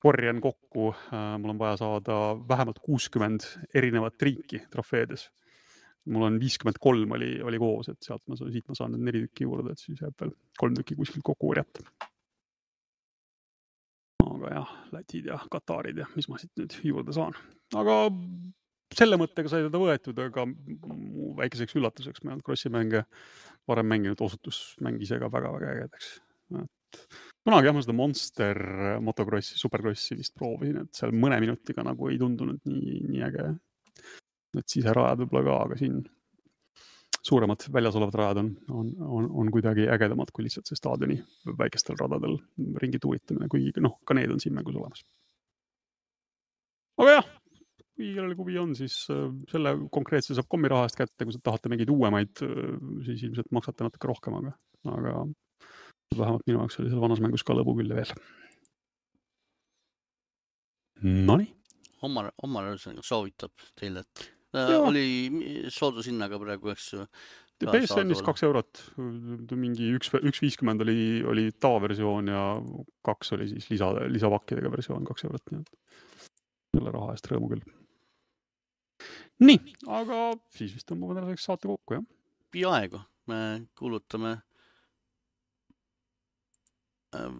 korjan kokku, mul on vaja saada vähemalt 60 erinevat riiki trofeedes. Mul on 53 oli koos, et siit ma saan 4 tükki juurde, et siis jääb veel 3 tükki kuskilt kokku korjata. Aga jah, Lätid ja Katarid ja mis ma siit nüüd juurde saan. Aga selle mõttega sai teda võetud, aga väikeseks üllatuseks me Crossi mänge varem mänginud osutus mängis ka väga-väga ägedaks. Kunagi jah, ma seda Monster Motocrossi, Supercrossi vist proovisin, et seal mõne minutiga nagu ei tundunud nii äge. Et siserajad võib-olla ka, aga siin suuremad väljas olevad rajad on kuidagi ägedamad kui lihtsalt see staadioni väikestel radadel ringi tuuritamine, kuigi ka need on siin mängus olemas. Aga jah, kui kellel huvi on, siis selle konkreetse saab kommirahast kätte, kui sa tahate mingid uuemaid, siis ilmselt maksate natuke rohkem, aga vähemalt minu jaoks oli seal vanas mängus ka lõbu küll veel. Nonii. Omar soovitab teile, et oli soodushinnaga praegu, eks ju. PSN-is 2 eurot, mingi 1.50 oli tavaversioon ja 2 oli siis lisavakkidega versioon 2 eurot. Nii et selle raha eest rõõmu küll. Nii, aga siis vist tõmbame tänaseks saate kokku, jah? Peaaegu. Me kuulutame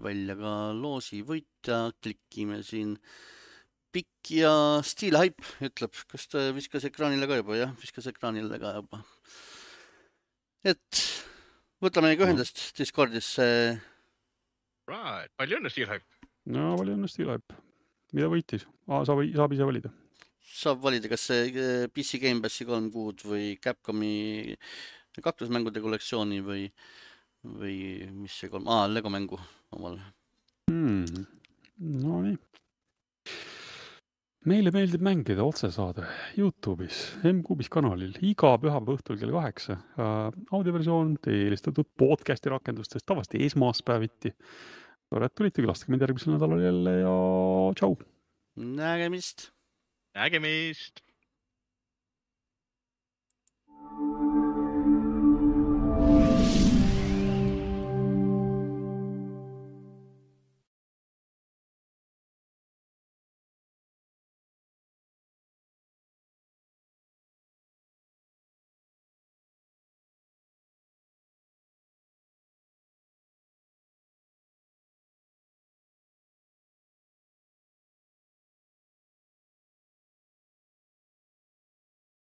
välja ka loosi võitja, klikime siin Pikk ja Steel Hype ütleb, kas ta viskas ekraanile ka juba, jah, viskas ekraanile ka juba. Et võtame meiega ühendust Discordisse. Right, palju õnne Steel Hype? No, palju õnne Steel Hype. Mida võitis? Saab ise valida. Saab valida, kas see PC Game Passi 3 kuud või Capcomi kaklusmängude kollektsiooni või mis see Lego mängu omal. No nii. Meile meeldib mängida otsesaade YouTube'is, M-Kuubis kanalil, iga pühapäeva õhtul kell 8. Audioversioon teie eelistatud podcasti rakendustest tavaliselt esmaspäeviti. Tore, et tulite, külastage mind järgmisel nädalal jälle ja tšau! Nägemist! Nägemist!